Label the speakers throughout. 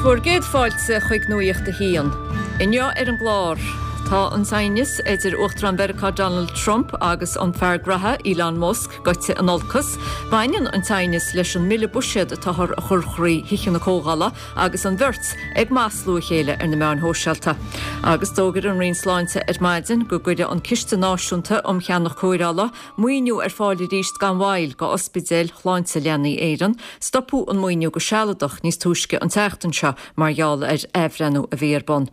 Speaker 1: bhur gcéad fáilte chuig Nuacht a hAon. Inniu ar an gclár, tá an t-aighneas idir Uachtarán Mheiriceá Donald Trump agus an fear graithe Elon Musk gaibhte in olcas. Baineann an t-aighneas leis an mbille buiséad atáthar a chur thrí Thithe na Comhdhála agus an bheirt ag maslú a chéile ar na meáin shóisialta. Agus d'fhógair an Roinn Sláinte ar maidin go gcuirfidh an Ciste Náisiúnta um Cheannach Cóireála Maoiniú ar fáil arís gan mhoill go ospidéil Shláinte Leanaí Éireann. Stopadh an maoiniú go sealadach níos túisce an tseachtain seo mar gheall ar athbhreithniú a bhí ar bun.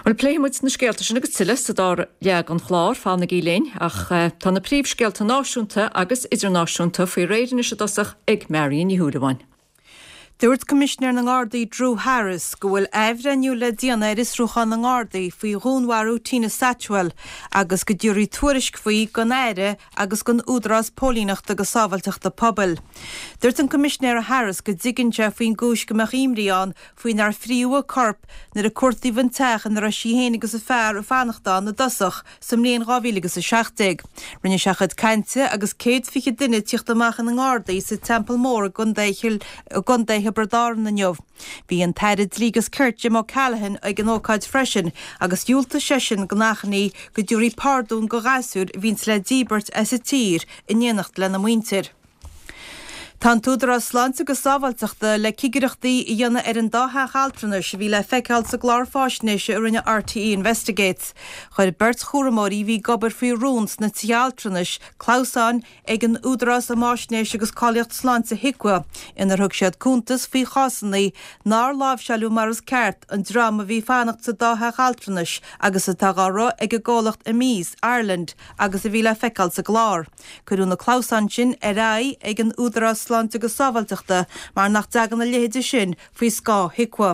Speaker 1: Bhuel, pléifidh muid na scéalta sin agus tuilleadh sa dara leath den chlár, fanaigí linn, ach tá na príomhscéalta náisiúnta agus idirnáisiúnta faoi réir anois i dtosach ag Marion Ní Shúilleabháin.
Speaker 2: Dúirt Coimisinéir na nGardaí Drew Harris go bhfuil athbhreithniú le déanamh ar fhiosrúchán na nGardaí faoi dhúnmharú Tina Satchwell agus go dtabharfaí tuairisc faoi don Aire agus don Údarás Póilíneachta agus Sábháilteachta Pobail. Dúirt an Coimisinéir Harris go dtuigeann sé faoin gcúis go mbeadh imní ann faoi nár fríodh a corp nuair a cuartaíodh an teach ina raibh sí féin agus a fear ag fanacht ann i dtosach Sa mbliain 2017, rinne sé a chuid cainte agus 120 duine ag tíocht amach ina ngardaí sa Teampall Mór i gContae Thiobraid Árann inniu. Bhí an tAire Dlí agus Cirt Jim O'Callaghan ag an ócáid freisin agus dhiúltaigh seisean don achainí go dtabharfaí pardún do ghasúir a bhíonns le díbirt as an tír in éineacht lena muintir. Tá an tÚdarás Sláinte agus Sábháilteachta le cigireachtaí a dhéanamh ar an dá theach altranais a bhí le feiceáil sa gclár fáisnéise a rinne RTÉ Investigates. Chuir beirt chúramóirí a bhí ag obair faoi rún sna tithe altranais clamhsáin ag an Údarás um Fháisnéis agus Cáilíocht Sláinte HIQA inar thug siad cuntas faoi chásanna nár láimhseáileadh mar is ceart an dream a bhí ag fanacht sa dá theach altranais agus atá dhá rith ag an gcomhlacht Emeis Ireland agus a bhí le feiceáil sa gclár. Cuireadh na clamhsáin sin ar aghaidh ag an Údarás Sláinte agus Sábháilteachta mar nach dtagann a leithéide sin faoi scáth HIQA.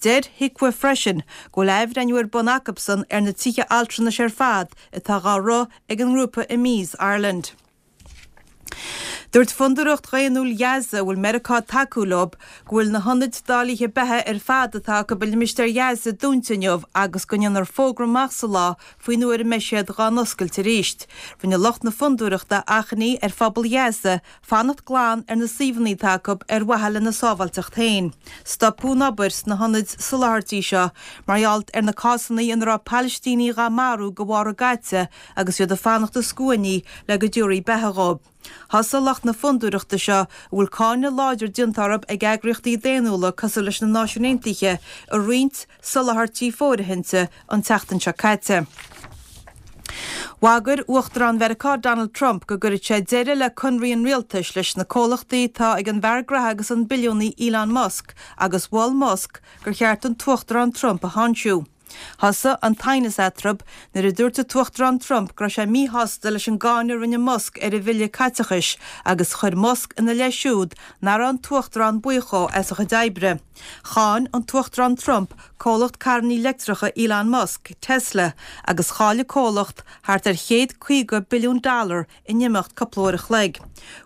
Speaker 2: Deir HIQA freisin go bhfuil athbhreithniú ar bun acubsan ar na tithe altranais ar fad atá dhá rith ag an ngrúpa Emeis Ireland. Dúirt Fondúireacht Dhaonnúil Ghaza, a bhfuil Meiriceá ag tacú leo, go bhfuil na hionaid dáilithe beatha ar fad atá acu i limistéar Ghaza dúnta inniu agus go ndéanfar fógra amach sa lá faoin uair a mbeidh siad dhá n-oscailt arís. Rinne lucht na fondúireachta achainí ar phobal Ghaza fanacht glan ar na suíomhanna atá acu ar mhaithe lena sábháilteacht féin. Stopadh an obair sna hionaid soláthairtí seo mar gheall ar na cásanna ina raibh Palaistínigh dhá marú de bharr a gcaite agus iad ag fanacht i scuainí le go dtabharfaí beatha dhóibh. Thosaigh lucht na fondúireachta seo, a bhfuil cáineadh láidir déanta orthu ag eagraíochtaí daonnúla cosúil leis na Náisiúin Aontaithe, i roinnt soláthairtí fóirithinte an tseachtain seo caite. Bhagair Uachtarán Mheiriceá Donald Trump go gcuirfeadh sé deireadh le conraí an rialtais leis na comhlachtaí atá ag an bhfear graithe agus an billiúnaí Elon Musk agus mhol Musk gur cheart an tUachtarán Trump a tháinsiú. Thosaigh an t-aighneas eatarthu nuair a dúirt an tUachtarán Trump go raibh sé míshásta leis an gcáineadh a rinne Musk ar an bhille caiteachais agus chuir Musk ina leith siúd nach raibh an tUachtarán buíoch dhó as a chuid oibre. Cháin an tUachtarán Trump comhlacht carrannaí leictreacha Elon Musk, Tesla, agus chaill an comhlacht thart ar 150 billiún dollar in imeacht cúpla uair a chloig.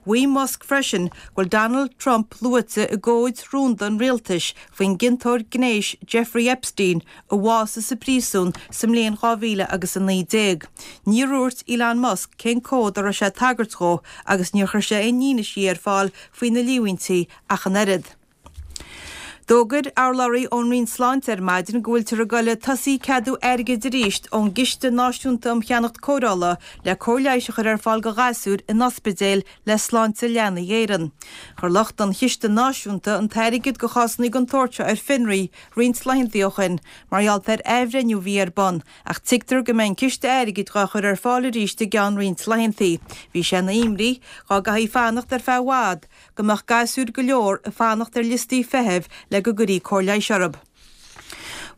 Speaker 2: Mhaígh Musk freisin go bhfuil Donald Trump luaite i gcomhaid rúnda an rialtais faoin gciontóir gnéis Jeffrey Epstein a bhásaigh sa bpríosún sa mbliain 2019. Níor dhúirt Elon Musk cén comhad a raibh sé ag tagairt dhó agus níor chuir sé aon fhianaise ar fáil faoi na líomhaintí ach an oiread. D'fhógair urlabhraí ón Roinn Sláinte ar maidin go bhfuiltear ag goil ag tosaí ceadú airgid arís ón gCiste Náisiúnta um Cheannacht Cóireála le cóir leighis a chur ar fáil do ghasúir in ospidéil le Sláinte Leanaí Éireann. Chuir lucht an Chiste Náisiúnta an t-airgead do chásanna den tsórt seo ar fionraí roinnt laethanta ó shin mar gheall ar athbhreithniú a bhí ar bun ach tuigtear go mbeidh an ciste airgid dhá chur ar fáil arís i gceann roinnt laethanta. Bhí sé ina imní dhá gcaithfí fanacht ar feadh i bhfad go mbeadh gasúir go leor ag fanacht ar liostaí feithimh le go gcuirí cóir leighis orthu.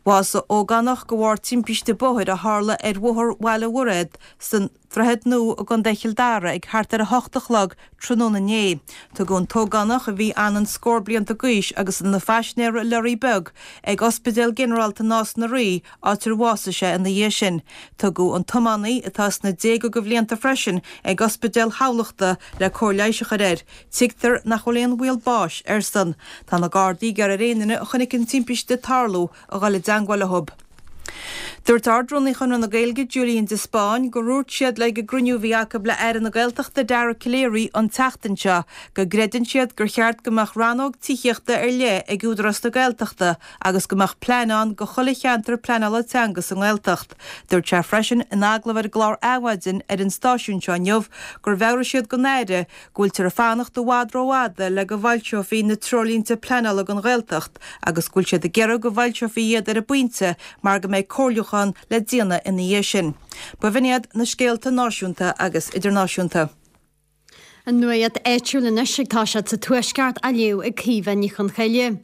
Speaker 2: Bhásaigh ógánach de bharr timpiste bóthair a tharla ar Bhóthar Bhaile Mhuirthead san Droichead Nua i gContae Chill Dara ag thart ar 8 a chlog tráthnóna inné. Tugadh an t-ógánach, a bhí anonn scór blianta d'aois agus ina phaisinéir i leoraí beag, ag Ospidéal Ginearálta Nás na Rí, áit ar bhásaigh sé ina dhiaidh sin. Tugadh an tiománaí, atá sna déaga de bhlianta freisin, ag Ospidéal Thamhlachta le cóir leighis a chur air. Tuigtear nach bhfuil aon bhaol báis airsean. Tá na Gardaí ag iarraidh ar aon duine a chonaic an timpiste ag tarlú a dhul i dteangmháil leo. Dúirt Ard-Rúnaí Chonradh na Gaeilge, Julian de Spáinn, gur dhúirt siad ag an gcruinniú a bhí acu le Aire na Gaeltachta Dara Calleary an tseachtain seo go gcreideann siad gur cheart go mbeadh rannóg tithíochta ar leith ag Údarás na Gaeltachta agus go mbeadh plean ann go chuile cheantar pleanála teanga sa nGaeltacht. Dúirt sé freisin in agallamh ar an gclár Adhmhaidin ar an stáisiún seo inniu gur mheabhraigh siad don Aire go bhfuiltear ag fanacht i bhfad rófhada le go bhfoilseofaí na treoirlínte pleanála don Ghaeltacht agus go bhfuil siad ag iarraidh go bhfoilseofaí iad ar an bpointe mar go mbeidh comhairliúchán le déanamh ina dhiaidh sin. B'in iad na scéalta náisiúnta agus idirnáisiúnta.
Speaker 3: An nuacht áitiúil anois ag toiseacht sa Tuaisceart á léamh ag Caoimhe Ní Chonchoille.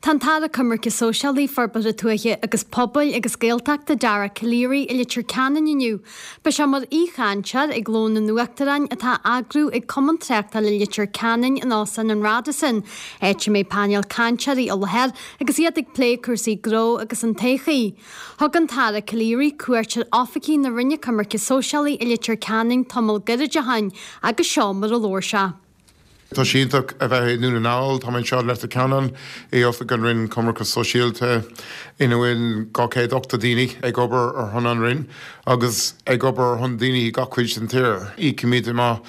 Speaker 3: Tá an tAire Coimirce Sóisialaí, Forbartha Tuaithe agus Pobail agus Gaeltachta Dara Calleary i Leitir Ceanainn inniu. Beidh sé mar aoichainteoir ag Lón an Uachtaráin atá á eagrú ag Cumann Tráchtála Leitir Ceanainn in Óstán an Radisson, áit a mbeidh painéal cainteoirí i láthair agus iad ag plé cúrsaí gnó agus an todhchaí. Thug an tAire Calleary cuairt ar oifigí na Roinne Coimirce Sóisialaí i Leitir Ceanainn tamall gairid ó shin agus seo mar a labhair sé.
Speaker 4: Tá sé iontach a bheith i nDún na nGall. Tá mé anseo i Leitir Ceanainn i oifig an Roinn Coimirce Sóisialta ina bhfuil 280 daoine ag obair ar shon an Roinn agus ag obair ar shon daoine i gach cuid den tír. Íocaimid amach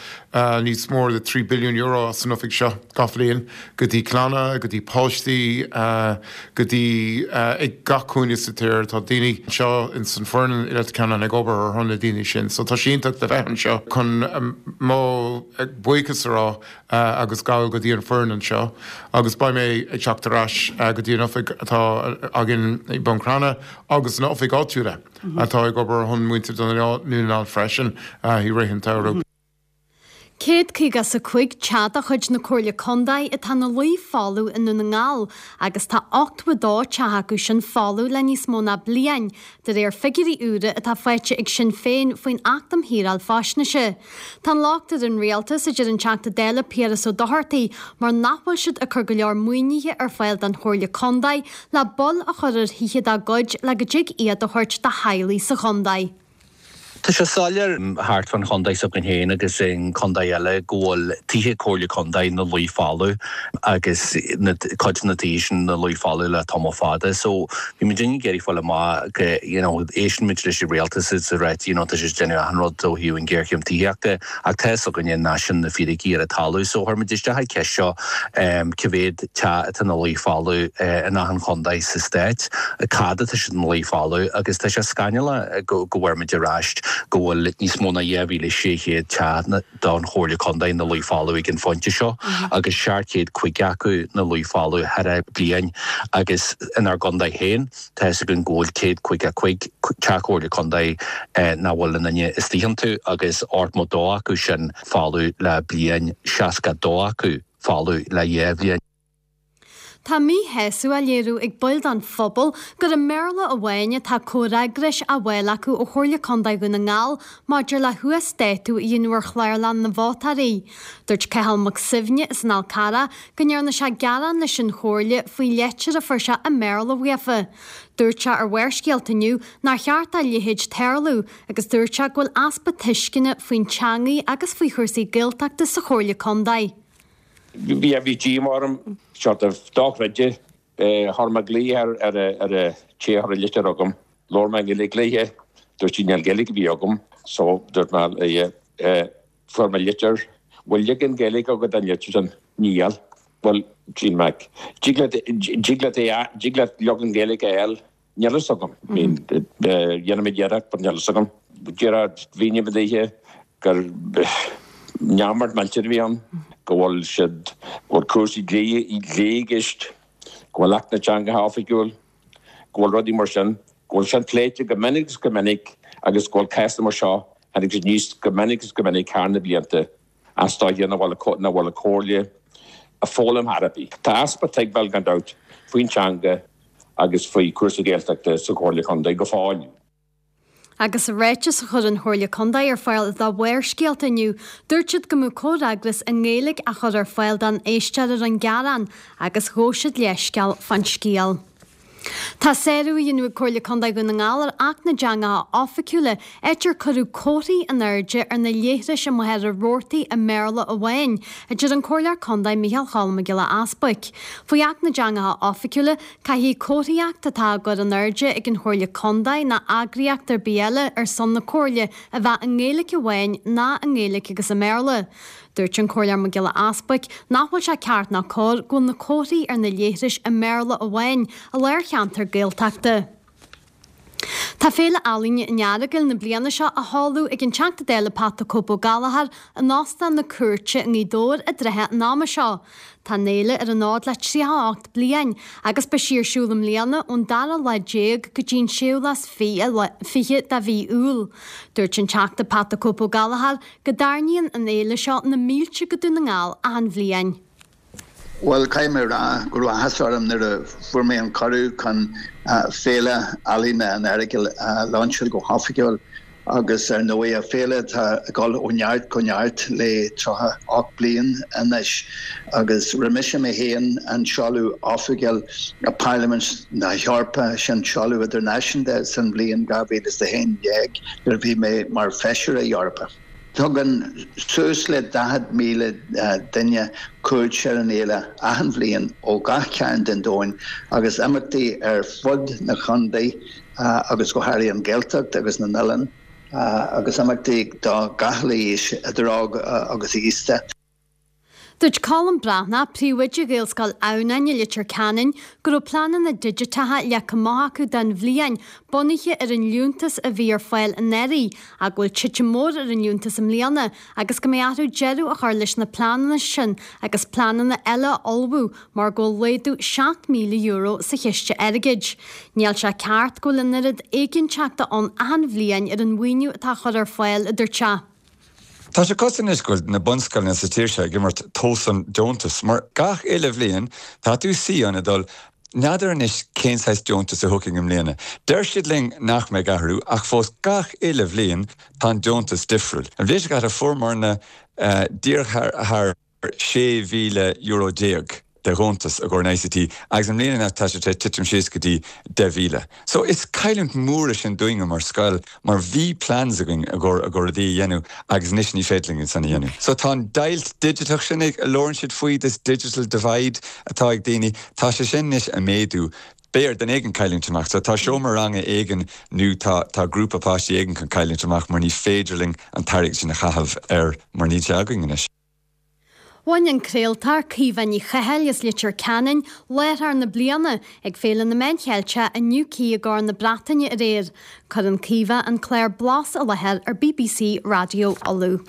Speaker 4: níos mór de €3 billiún as an oifig seo gach bhliain go dtí clanna, go dtí páistí, go dtí ag gach cúinne sa tír. Tá daoine anseo ins an foireann i Leitir Ceanainn ag obair ar shon na daoine sin. So tá sé iontach le bheith anseo chun mo buíochas a rá agus gabháil go dtí an foireann anseo agus beidh mé ag teacht ar ais go dtí an oifig atá againn i mBun Cranncha agus na oifig áitiúla atá ag obair ar shon muintir Dhún na nGall freisin i rith an tsamhraidh.
Speaker 3: 155 teach de chuid na Comhairle Contae atá ina luí folamh i nDún na nGall agus tá 82 teach acu sin folamh le níos mó ná bliain, de réir figiúirí úra atá faighte ag Sinn Féin faoin Acht um Shaoráil Faisnéise. Tá an locht ar an Rialtas, a deir an Teachta Dála Piaras Ó Dochartaigh, mar nach bhfuil siad ag cur go leor maoinithe ar fáil don Chomhairle Contae le bail a chur ar thithe dá gcuid le go dtig iad a thabhairt do theaghlaigh sa chontae.
Speaker 5: Tá sé soiléir thart fán chontae s'againn féin agus i gcontae eile go bhfuil tithe Comhairle Contae ina luí folamh agus na cuid de na tithe sin ina luí folamh le tamall fada. So bhí muid ag iarraidh fáil amach go you know éisteann muid leis an rialtas is ag ráit you know tá siad ag déanamh achan rud ó thaobh an ghéarchéim tithíochta ach tá fhios againne nach sin na fíricí ar an talamh. So chuir muid isteach an cheist seo cá mhéad teach atá ina luí folamh in achan chontae sa stát, cad atá siad ina luí folamh agus tá sé scannalach go bhfuair muid ar ais go bhfuil níos mó ná 2,600 teach don Chomhairle Contae ina luí folamh ag an phointe seo agus 750 acu ina luí folamh thar a bliain agus inár gcontae féin tá fhios againn go bhfuil 155 teach Comhairle Contae nach bhfuil aon duine istigh iontu agus 82 acu sin folamh le bliain, 62 acu. folamh le dhá bhliain.
Speaker 3: Tá míshásamh á léiriú ag baill den phobal gur i mBéarla amháin atá comhfhreagrais á bhfáil acu ó Chomhairle Contae Dhún na nGall maidir le huasdátú a dhéanamh ar chlárlann na vótóirí. Dúirt Cathal Mac Suibhne as an Fhál Carrach go ndearna sé gearán leis an Chomhairle faoi leitir a fuair sé i mBéarla uafa. Dúirt sé ar Bharrscéalta inniu nár cheart dá leithéid tarlú agus dúirt sé go bhfuil easpa tuisceana faoin teangaidh agus faoi chúrsaí Gaeltachta sa Chomhairle Contae.
Speaker 6: Bhí bhí díomá orm, sort of dochreidte. Chuir mé glaoch ar ar ar an té a chuir an litir chugam. Labhair mé i nGaeilge léithe. Dúirt sí níl Gaeilge ar bith agam. So dúirt mé léithe fuair mé litir. Bhfuil leagan Gaeilge agat den litir sin? Níl. Bhuel, Jean Mac, dtig leat dtig leat é dtig leat leagan Gaeilge a fháil? Níl fhios agam. I mean, dhéanfaidh mé iarracht, but níl fhios agam. Díreach mhínigh mé daoithe gur neamart millteach a bhí ann, go bhfuil siad, go bhfuil cúrsaí dlí, dlí i gceist, go bhfuil Acht na dTeangacha Oifigiúil, go bhfuil rudaí mar sin, go bhfuil sin pléite go minic is go minic agus go bhfuil cásanna mar seo, tháinig siad aníos go minic is go minic thar na blianta. Is dóiche nach bhfuil nach bhfuil an Chomhairle ag foghlaim ar chor ar bith. Tá easpa tuigbheáil gan dabht faoin teanga agus faoi chúrsaí Gaeltachta sa Chomhairle Contae go fóill.
Speaker 3: Agus i ráiteas a chuir an Chomhairle Contae ar fáil do Bharrscéalta inniu, dúirt siad go mbeadh comhfhreagras i nGaeilge á chur ar fáil don éisteoir a rinne gearán agus ghabh siad leithscéal fán scéal. Tá sárú á dhéanamh ag Comhairle Contae Dhún na nGall ar Acht na dTeangacha Oifigiúla, áit ar cuireadh comharthaí in airde ar na leithris i Machaire Rabhartaigh i mBéarla amháin, a deir an Comhairleoir Contae Micheál Cholm Mac Giolla Easbuic. Faoi Acht na dTeangacha Oifigiúla, caithfidh comharthaíocht atá á gcur in airde ag an Chomhairle Contae ná eagraíocht ar bith eile ar son na Comhairle a bheith i nGaeilge amháin ná i nGaeilge agus i mBéarla. Dúirt an Comhairleoir Mac Giolla Easbuic nach bhfuil sé ceart ná cóir go bhfuil na comharthaí ar na leithris i mBéarla amháin i lár cheantar Gaeltachta. Tá Féile Ealaíne an Earagail na bliana seo á sheoladh ag an Teachta Dála Pat 'The Cope Ó Gallchóir in Óstán na Cúirte i nGaoth Dobhair i dtrátha an ama seo. Tá an fhéile ar an fhód le 38 bliain agus beidh sí ar siúl i mbliana ón dara lá déag go dtí an séú lá is 20 de mhí Iúil. Dúirt an Teachta Pat 'The Cope Ó Gallchóir go dtarraingíonn an fhéile seo na mílte go Dún na nGall achan bhliain.
Speaker 7: Bhuel, caithfidh mé a rá go raibh áthas orm nuair a fuair mé an cuireadh chun Féile Ealaíne an Earagail a lainseáil go hoifigiúil agus ar ndóigh féile atá ag dul ó neart go neart le 38 bliain anois agus rinne mise mé féin an seoladh oifigiúil i Parlaimint na hEorpa, sin seoladh idirnáisiúnta san bhliain 2011 nuair a bhí mé mar Feisire Eorpach. Tugann suas le 40,000 duine cuairt ar an fhéile achan bhliain ó gach cearn den domhain agus imeachtaí ar fud na chontae agus go háirithe an Ghaeltacht agus na n-oileán agus imeachtaí do gach uile aois, idir óg agus aosta.
Speaker 3: Dúirt Colm Breathnach, príomhoide Ghaelscoil Adhamhnáin i Leitir Ceanainn, go raibh pleananna digiteacha leagtha amach acu don bhliain, bunaithe ar an liúntas a bhí ar fáil anuraidh, ach go bhfuil titim mór ar an liúntas i mbliana agus go mbeidh orthu deireadh a chur leis na pleananna sin agus pleananna eile a ullmhú mar go bhfuil laghdú €7,000 sa chiste airgid. Níl sé ceart go bhfuil an oiread éiginnteachta ann achan bhliain ar an mhaoiniú atá á chur ar fáil, a dúirt sé.
Speaker 8: Tá sé cosúil anois go bhfuil na bunscoileanna sa tír seo ag imirt tomhas an deontais mar gach uile bhliain tá tú suí ann ag dul, n'fheadar anois cén saghas deontas a thiocfaidh i mbliana. Deir siad linn nach mbeidh athrú ach fós gach uile bhliain tá an deontas difriúil. An bhliain seo caite fuaireamarna díreach thar €16,000 de dheontas i gcomhair an ICT agus i mbliana tá sé tar éis titim síos go dtí 10,000. So is cailliúint mór é sin dúinne mar scoil mar bhí plans againn i gcomhair i gcomhair rudaí a dhéanamh agus anois ní féidir linn iad san a dhéanamh. So tá an deighilt digiteach sin ag, a labhrann siad faoi, this digital divide atá ag daoine, tá sé sin anois ag méadú. Beidh ar duine éigin cailliúint amach. So tá seomra ranga éigin nó tá tá grúpa páistí éigin chun cailliúint amach mar ní féidir linn an t-airgead sin a chaitheamh ar mar níl sé againn anois.
Speaker 3: Bhain an craoltóir Caoimhe Ní Chathail as Leitir Ceanainn láithreoir na bliana ag Féile na Meán Cheilteach i Newquay i gCorn na Breataine aréir. Cuireann Caoimhe an clár Blas i láthair ar bbc Raidió Uladh.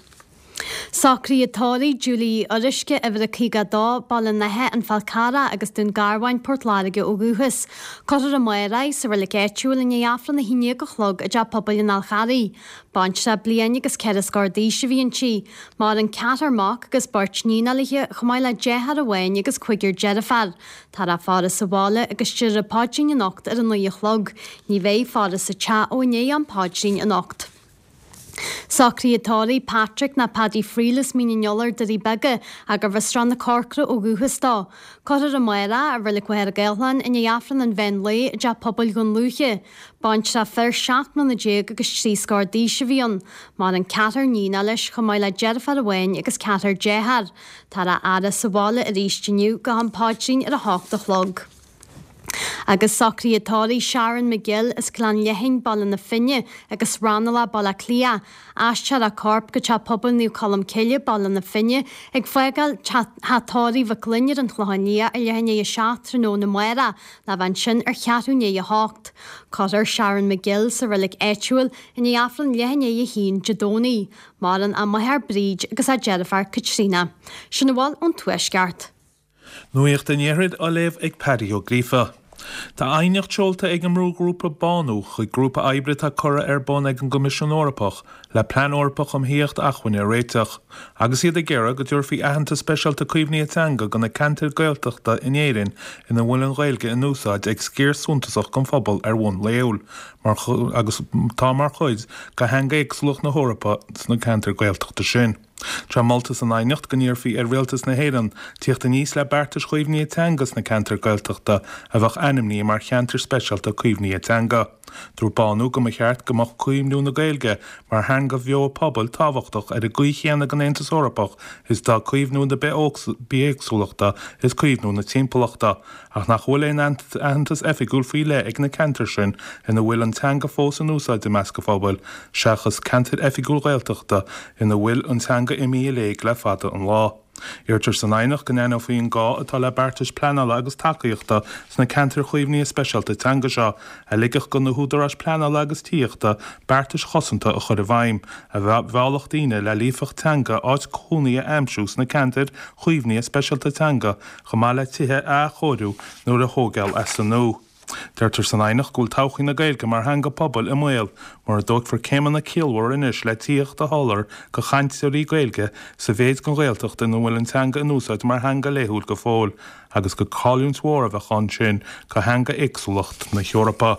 Speaker 3: Socruithe tórraimh Julie Uí Fhuaruisce, uimhir a 52, Baile an Átha, An Fál Carrach agus Dún Garbháin, Port Láirge ó dhúchas. Cuirfear amárach í sa reilig áitiúil i ndiaidh Aifreann 11 a chlog i dTeach Pobail an Fháil Charraigh. Baintreach bliain agus 4 scór d'aois a bhí inti. Maireann ceathrar mac agus beirt níon léi, chomh maith le deartháir amháin agus cúigear deirféar. Táthar á faire sa bhaile agus déarfar an paidrín anocht ar a 9 a chlog. Ní bheidh faire sa teach ó i ndiaidh am paidrín anocht. Socruithe tórraimh Patrick ná Paddy Friel as Mín an Iolair, Doirí Beaga, gurbh as Srath na Corcra ó dhúchas dó. Cuirfear amárach í i Reilig Mhachaire Gathlán i ndiaidh Aifreann an mheán lae i dTeach Pobail Dhún Lúiche. Baintreach fir 17 mbliana agus 3 scór d'aois a bhí ann. Maireann ceathrar níonacha leis chomh maith le deirfiúr amháin agus ceathrar dearthár. Táthar á fhaire sa bhaile arís inniu go ham paidrín ar a hocht a chlog. Agus socruithe tórraimh Sharon McGill as Gleann Leithin, Baile na Finne, agus Raghnallach, Baile Átha Cliath. Aistreofar a corp go Teach Pobail Naomh Colm Cille, Baile na Finne, ag fágáil Teach Tórraimh Mhic Fhloinn ar an Chlochán Liath ar leath i ndiaidh a 7 tráthnóna amárach, le bheith ansin ar cheathrú i ndiaidh a hocht. Cuirfear Sharon McGill sa reilig áitiúil i ndiaidh Aifreann leath i ndiaidh a haon Dé Domhnaigh. Maireann a máthair Bríd agus a deirfiúr Caitríona. Sin a bhfuil ón Tuaisceart.
Speaker 9: Nuacht an Iarthair á léamh ag Paddy Ó Gríofa. Tá aighneacht seolta ag an mbrúghrúpa Bánú chuig grúpa oibre atá curtha ar bun ag an gCoimisiún Eorpach le Plean Eorpach um Thithíocht Acmhainne a réiteach, agus iad ag iarraidh go dtabharfaí aitheantas speisialta caomhnaithe teanga do na ceantair Gaeltachta in Éirinn ina bhfuil an Ghaeilge in úsáid ag sciar suntasach den phobal ar bhonn laethúil mar agus atá mar chuid de theanga éagsúlacht na hEorpa sna ceantair Gaeltachta sin. Tá molta san aighneacht go n-iarrfaí ar Rialtas na hÉireann tíocht aníos le beartais chaomhnaithe teanga sna ceantair Gaeltachta a bheadh ainmnithe mar cheantair speisialta caomhnaithe teanga. Dúirt Bánú go mba cheart go mbeadh caomhnú na Gaeilge mar theanga bheo pobail tábhachtach ar an gcaoi chéanna don Aontas Eorpach is atá caomhnú na bithéagsúlachta is caomhnú na timpeallachta. Ach nach bhfuil aon aitheantas oifigiúil faoi leith ag na ceantair sin ina bhfuil an teanga fós in úsáid i measc an phobail, seachas ceantair oifigiúil Ghaeltachta ina bhfuil an teanga imithe i léig le fada an lá. Iarrtar san aighneacht go n-aithneofaí an gá atá le beartais pleanála agus tacaíochta sna ceantair chaomhnaithe speisialta teanga seo, a ligfeadh do na húdaráis pleanála agus tithíochta beartais chosanta a chur i bhfeidhm, a mheallfadh daoine le líofacht teanga áit chónaithe a aimsiú sna ceantair chaomhnaithe speisialta teanga chomh maith le tithe a athchóiriú nó a thógáil as an nua. Deirtear san aighneacht go bhfuil todhchaí na Gaeilge mar theanga pobail i mbaol mura dtógfar céimeanna ciallmhara anois le tithíocht a sholáthar do chainteoirí Gaeilge sa mhéid den Ghaeltacht ina bhfuil an teanga in úsáid mar theanga laethúil go fóill agus gur cailliúint mhór a bheadh ann sin do theanga éagsúlacht na hEorpa.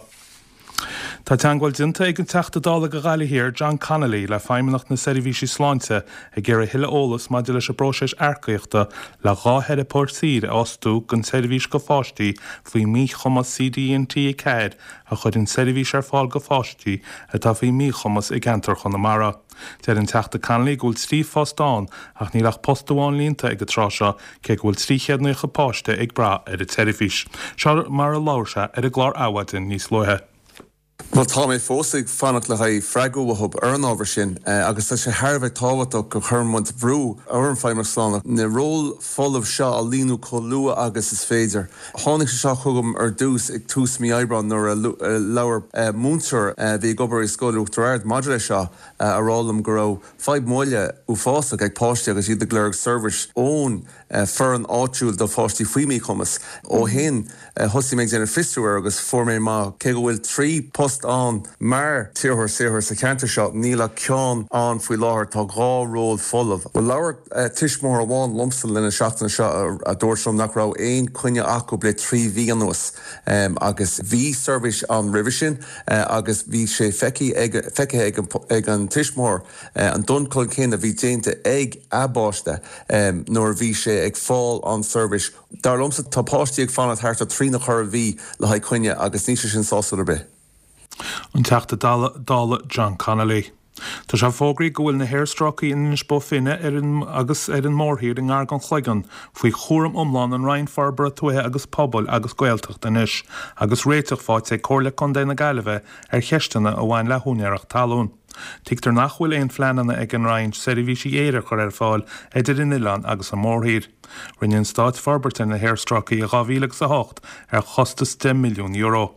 Speaker 9: Tá teagmháil déanta ag an Teachta Dála do Ghaillimh Thiar, John Connolly, le Feidhmeannacht na Seirbhísí Sláinte ag iarraidh thuilleadh eolas maidir leis an bpróiseas earcaíochta le 2 theiripeoir saoir a fhostú don tseirbhís do pháistí faoi mhíchumas CDNT 4 a chuireann seirbhís ar fáil do pháistí atá faoi mhíchumas i gceantar Chonamara. Deir an Teachta Connolly go bhfuil 3 phost ann ach níl ach post amháin líonta ag an tráth seo cé go bhfuil 390 páiste ag brath ar an tseirbhís. Seo mar a labhair sé ar an gclár Adhmhaidin níos luaithe.
Speaker 10: Bhuel, tá mé fós ag fanacht le haghaidh freagra uathub ar an ábhar sin agus tá sé thar a bheith tábhachtach go gcuireann muid brú ar an Feidhmeannacht Sláinte na róil folamh seo a líonadh chomh luath agus is féidir. Tháinig sé seo chugam ar dtús ag tús mí Aibreáin nuair a labhair múinteoir a bhí ag obair i Scoil Uachtar Ard maidir leis seo a rá liom go raibh fadhb moille uafásach ag páistí agus iad ag lorg seirbhís ón foireann áitiúil do pháistí faoi mhíchumas. Ó shin thosaigh mé ag déanamh fiosrú air agus fuair mé amach cé go bhfuil 3 post ann mar theiripeoir saothair sa cheantar seo níl ach ceann ann faoi láthair, tá 2 ról folamh. Labhair tuismitheoir amháin liomsa le linn na seachtaine seo a dúirt liom nach raibh aon coinne acu le 3 mhí anuas agus bhí seirbhís ann roimhe sin agus bhí sé feicthe ag an tuismitheoir an dul chun cinn a bhí déanta ag a bpáiste nuair a bhí sé ag fáil an seirbhís. Dar liomsa tá páistí ag fanacht thart ar thrí nó ceithre mhí le haghaidh coinne agus níl sé sin sásúil ar bith.
Speaker 9: An Teachta Dála John Connolly. Tá sé fógraithe go bhfuil na haerstráicí in Inis Bó Finne ar an agus ar an mórthír i ngar don Chloigeann faoi chúram iomlán an Roinn Forbartha Tuaithe agus Pobail agus Gaeltachta anois agus réiteach faighte ag Comhairle Contae na Gaillimhe ar cheisteanna a bhain le húinéireacht talún. Tuigtear nach bhfuil aon phleananna ag an Roinn seirbhísí aeir a chur ar fáil idir an oileán agus an mórthír. Rinne an Stát forbairt ar na haerstráicí i 2008 ar chostas €10 milliún.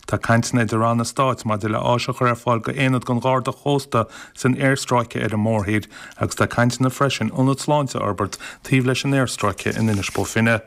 Speaker 9: Tá cainteanna idir ranna stáit maidir le áis a chur ar fáil d'aonad den Gharda Chósta san aerstráice ar an mórthír agus tá cainteanna freisin ionad sláinte a fhorbairt taobh leis an aerstráice in Inis Bó Finne.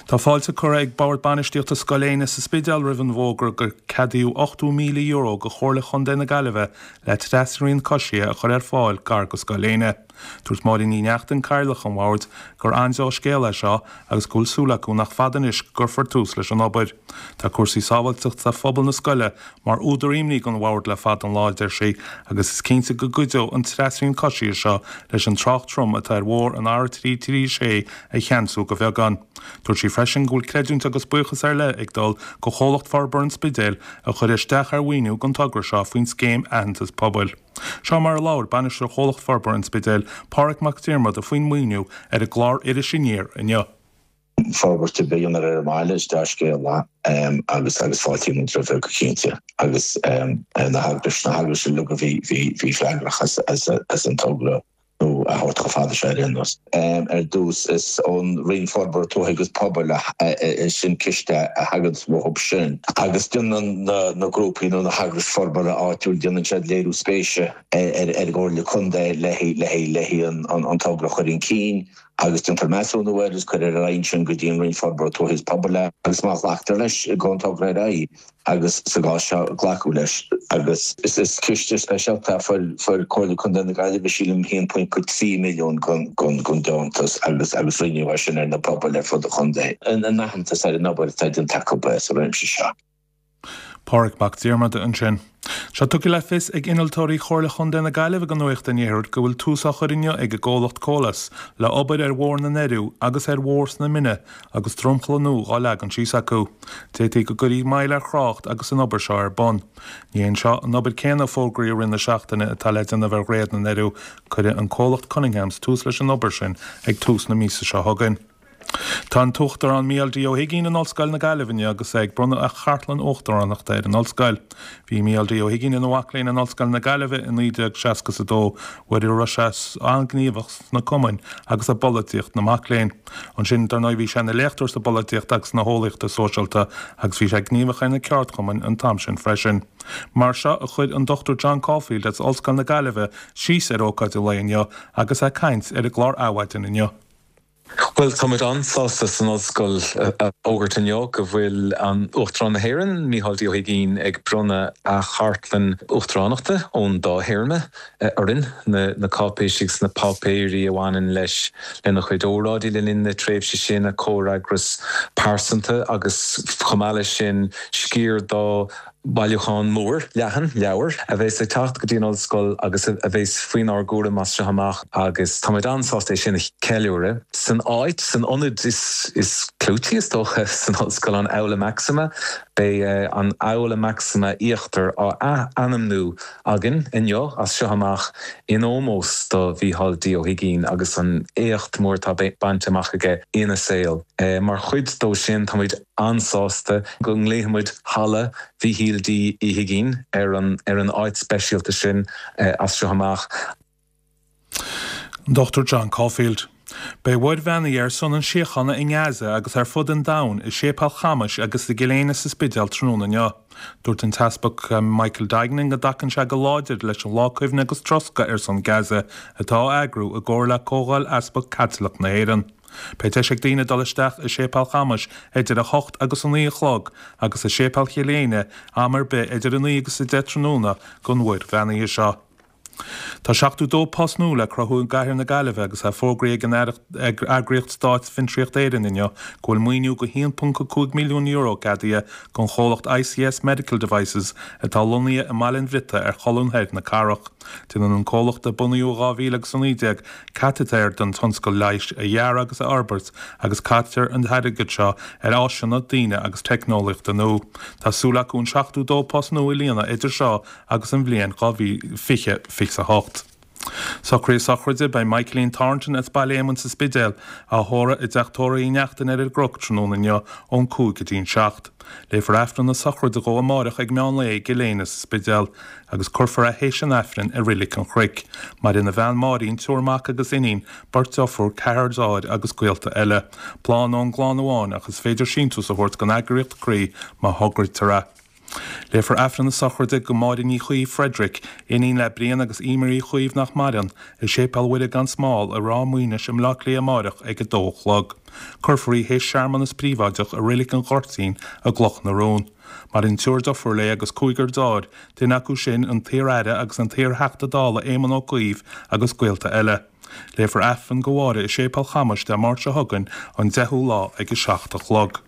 Speaker 9: Tá fáilte curtha ag Bord Bainistíochta Scoil Éinne sa Spidéal roimh an bhfógra gur ceadaíodh €80,000 do Chomhairle Chontae na Gaillimhe le trasrian coisithe a chur ar fáil gar do Scoil Éinne. Dúirt Máirín Ní Neachtain, Cathaoirleach an Bhoird, gur an-dea-scéal é seo agus go bhfuil súil acu nach fada anois go gcuirfear tús leis an obair. Tá cúrsaí sábháilteachta phobal na scoile mar údar imní don Bhord le fada an lá, a deir sí, agus is cinnte go gcuideoidh an trasrian coisithe seo leis an trácht trom atá ar bhóthar an R336 a cheansú de bheagán. Dúirt sí freisin go bhfuil creidiúint agus buíochas ar leith ag dul go Chomhlacht Forbartha an Spidéil a chuir isteach ar mhaoiniú don togra seo faoin scéim Aitheantas Pobail. Seo mar a labhair Bainisteoir Chomhlacht Forbartha an Spidéil, Páraic Mac Diarmada faoin maoiniú ar an gclár Iris Aniar inniu.
Speaker 11: Forbairt ar bith a dhéanamh ar an mbaile, is dea-scéal é agus agus fáiltíonn muid roimhe go cinnte agus na heagrais, na heagrais uilig a bhí, bhí, bhí freagrach as, as, as an togra nó a thabhairt chomh fada seo ar aon nós. Ar dtús, is ón Roinn Forbartha Tuaithe agus Pobail a, sin ciste a thagann uathu sin agus déanann na grúpaí nó na heagrais forbartha áitiúil, déanann siad léiriú spéise ar an gComhairle Contae le haghaidh an togra a chur chun cinn agus déantar measúnú air agus cuirtear ar aghaidh ansin go dtí an Roinn Forbartha Tuaithe is Pobail é agus má ghlactar leis, gabhann an togra ar aghaidh. agus sa gcás seo glacadh leis agus is ciste speisialta a fuair Comhairle Contae na Gaillimhe sílim 1.3 milliún den deontas agus agus roinneadh é sin ar na pobail ar fud an chontae in aitheantas ar an obair atá déanta acu sa réimse seo.
Speaker 9: Pádraig Mac Diarmada ansin. Tá sé tugtha le fios ag innealtóirí Chomhairle Chontae na Gaillimhe do Nuacht an Iarthair go bhfuil tús á chur inniu ag an gcomhlacht Colas le obair ar Bhóthar na nDoirí agus ar Bhóthar na Mine agus dromchla nua dhá leagan síos acu. D'fhéadfaí go gcuirfí moill ar thrácht agus an obair seo ar bun. Ní hé seo an obair céanna a fógraíodh i rith na seachtaine atá le déanamh ar Dhroichead na nDoirí, cuirfidh an comhlacht Cunninghams tús leis an obair sin ag tús na míosa seo chugainn. Tá an tUachtarán Mícheál D. Ó hUigínn in Ollscoil na Gaillimhe inniu agus é ag bronnadh a chartlann uachtaránachta ar an ollscoil. Bhí Mícheál D. Ó hUigínn ina mhac léinn in Ollscoil na Gaillimhe i 1962, uair a raibh sé an-ghníomhach sna cumainn agus i bpolaitíocht na mac léinn. Ansin, dar ndóigh, bhí sé ina léachtóir sa bpolaitíocht agus sna heolaíochta sóisialta agus bhí sé gníomhach ar na ceardchumainn an t-am sin freisin. Mar seo a chuir an Dr John Caulfield as Ollscoil na Gaillimhe síos ar ócáid an lae inniu agus é ag caint ar an gclár Adhmhaidin inniu.
Speaker 8: Bhuel, táimid an-sásta san Ollscoil a fhógairt inniu go bhfuil Uachtarán na hÉireann, Mícheál D. Ó hUigínn, ag bronnadh a chartlann uachtaránachta ón dá théarma orainn, na cáipéisí agus na páipéirí a bhaineann leis, lena chuid óráidí le linn na tréimhse sin, a chomhfhreagras pearsanta agus chomh maith leis sin, sciar dá Bailiúchán mór leathan leabhar a bheas ag teacht go dtí an Ollscoil agus a bheas faoinár gcúram as seo amach agus táimid an-sásta é sin a cheiliúradh san áit, san ionad is clúití is dócha san Ollscoil, an Aula Maxima. Beidh an Aula Maxima Íochtar á ath-ainmniú againn inniu as seo amach in ómós do Mhícheál D. Ó hUigínn agus an éacht mór atá bainte amach aige ina saol. Mar chuid dó sin táimid an-sásta go nglaofaimid Halla Mhíchíl D. Uí hUigínn ar an ar an áit speisialta sin as seo amach.
Speaker 9: An Dr John Caulfield. Beidh Mhuir bheannaithe ar son an síochána i nGaza agus ar fud an domhain i Séipéal Chamais agus i gCill Éinne sa Spidéal tráthnóna inniu. Dúirt an tEaspag Michael Duignan go dtacann sé go láidir leis an Lá Cuimhne agus Troscadh ar son Gaza atá á eagrú i gcomhar le Comhdháil Easpag Caitliceach na hÉireann. Beidh deis ag daoine dul isteach i Séipéal Chamais idir 8 agus 9 a chlog agus i Séipéal Chill Éinne am ar bith idir 9 agus 10 tráthnóna don Mhuir Bheannaithe seo. Tá 72 post nua le cruthú i gcathair na Gaillimhe agus é fógraithe ag an eagraíocht stáit Fiontraíocht Éireann inniu go bhfuil maoiniú de €1.5 milliún ceadaithe don chomhlacht ICS Medical Devices atá lonnaithe i mBaile an Bhriotaigh ar cholún thoir na cathrach. Déanann an comhlacht, a bunaíodh i 2019, cataitéir don tionscal leighis a dhearadh agus a fhorbairt agus caitear an t-airgead seo ar áiseanna, daoine agus teicneolaíochta nua. Tá súil acu an 72 post nua a líonadh idir seo agus an bhliain 2028. Socruithe sochraide, Beidh Michaeline Thornton as Baile Éamoinn sa Spidéal á thórramh i dTeach Tórraimh Uí Neachtain ar an gCnoc tráthnóna inniu ón 5 go dtí an 7. Léifear Aifreann na sochraide dhó amáireach ag meán lae i gCill Éinne sa Spidéal. agus cuirfear é théis an Aifrinn i Reilig an Chnoic. Maireann a bhean Máirín, triúr mac agus iníon, beirt deirfiúr, ceathrar deartháir agus gaolta eile. Bláth ón gclann amháin ach is féidir síntiús a thabhairt don eagraíocht Croí má thograítear é. Léifear Aifreann na sochraide do Mháire Ní Chaoimh, Frederick, iníon le Brian agus Emer Uí Chaoimh nach maireann, i Séipéal Mhuire gan Smál i Ráth Maoinis i mBleá Cliath amáireach ag 2 a chlog. Cuirfear í théis searmanas príobháideach i Reilig an Ghoirtín i gCloch na Rón. Maireann triúr deirfiúr léi agus cúigear deartháir, duine acu sin an t-iar-aire agus an t-iar-Theachta Dála Éamon Ó Cuív agus gaolta eile. Léifear Aifreann do Mháire i Séipéal Chamais Dé Máirt seo chugainn, an 10ú lá ag 7 a chlog.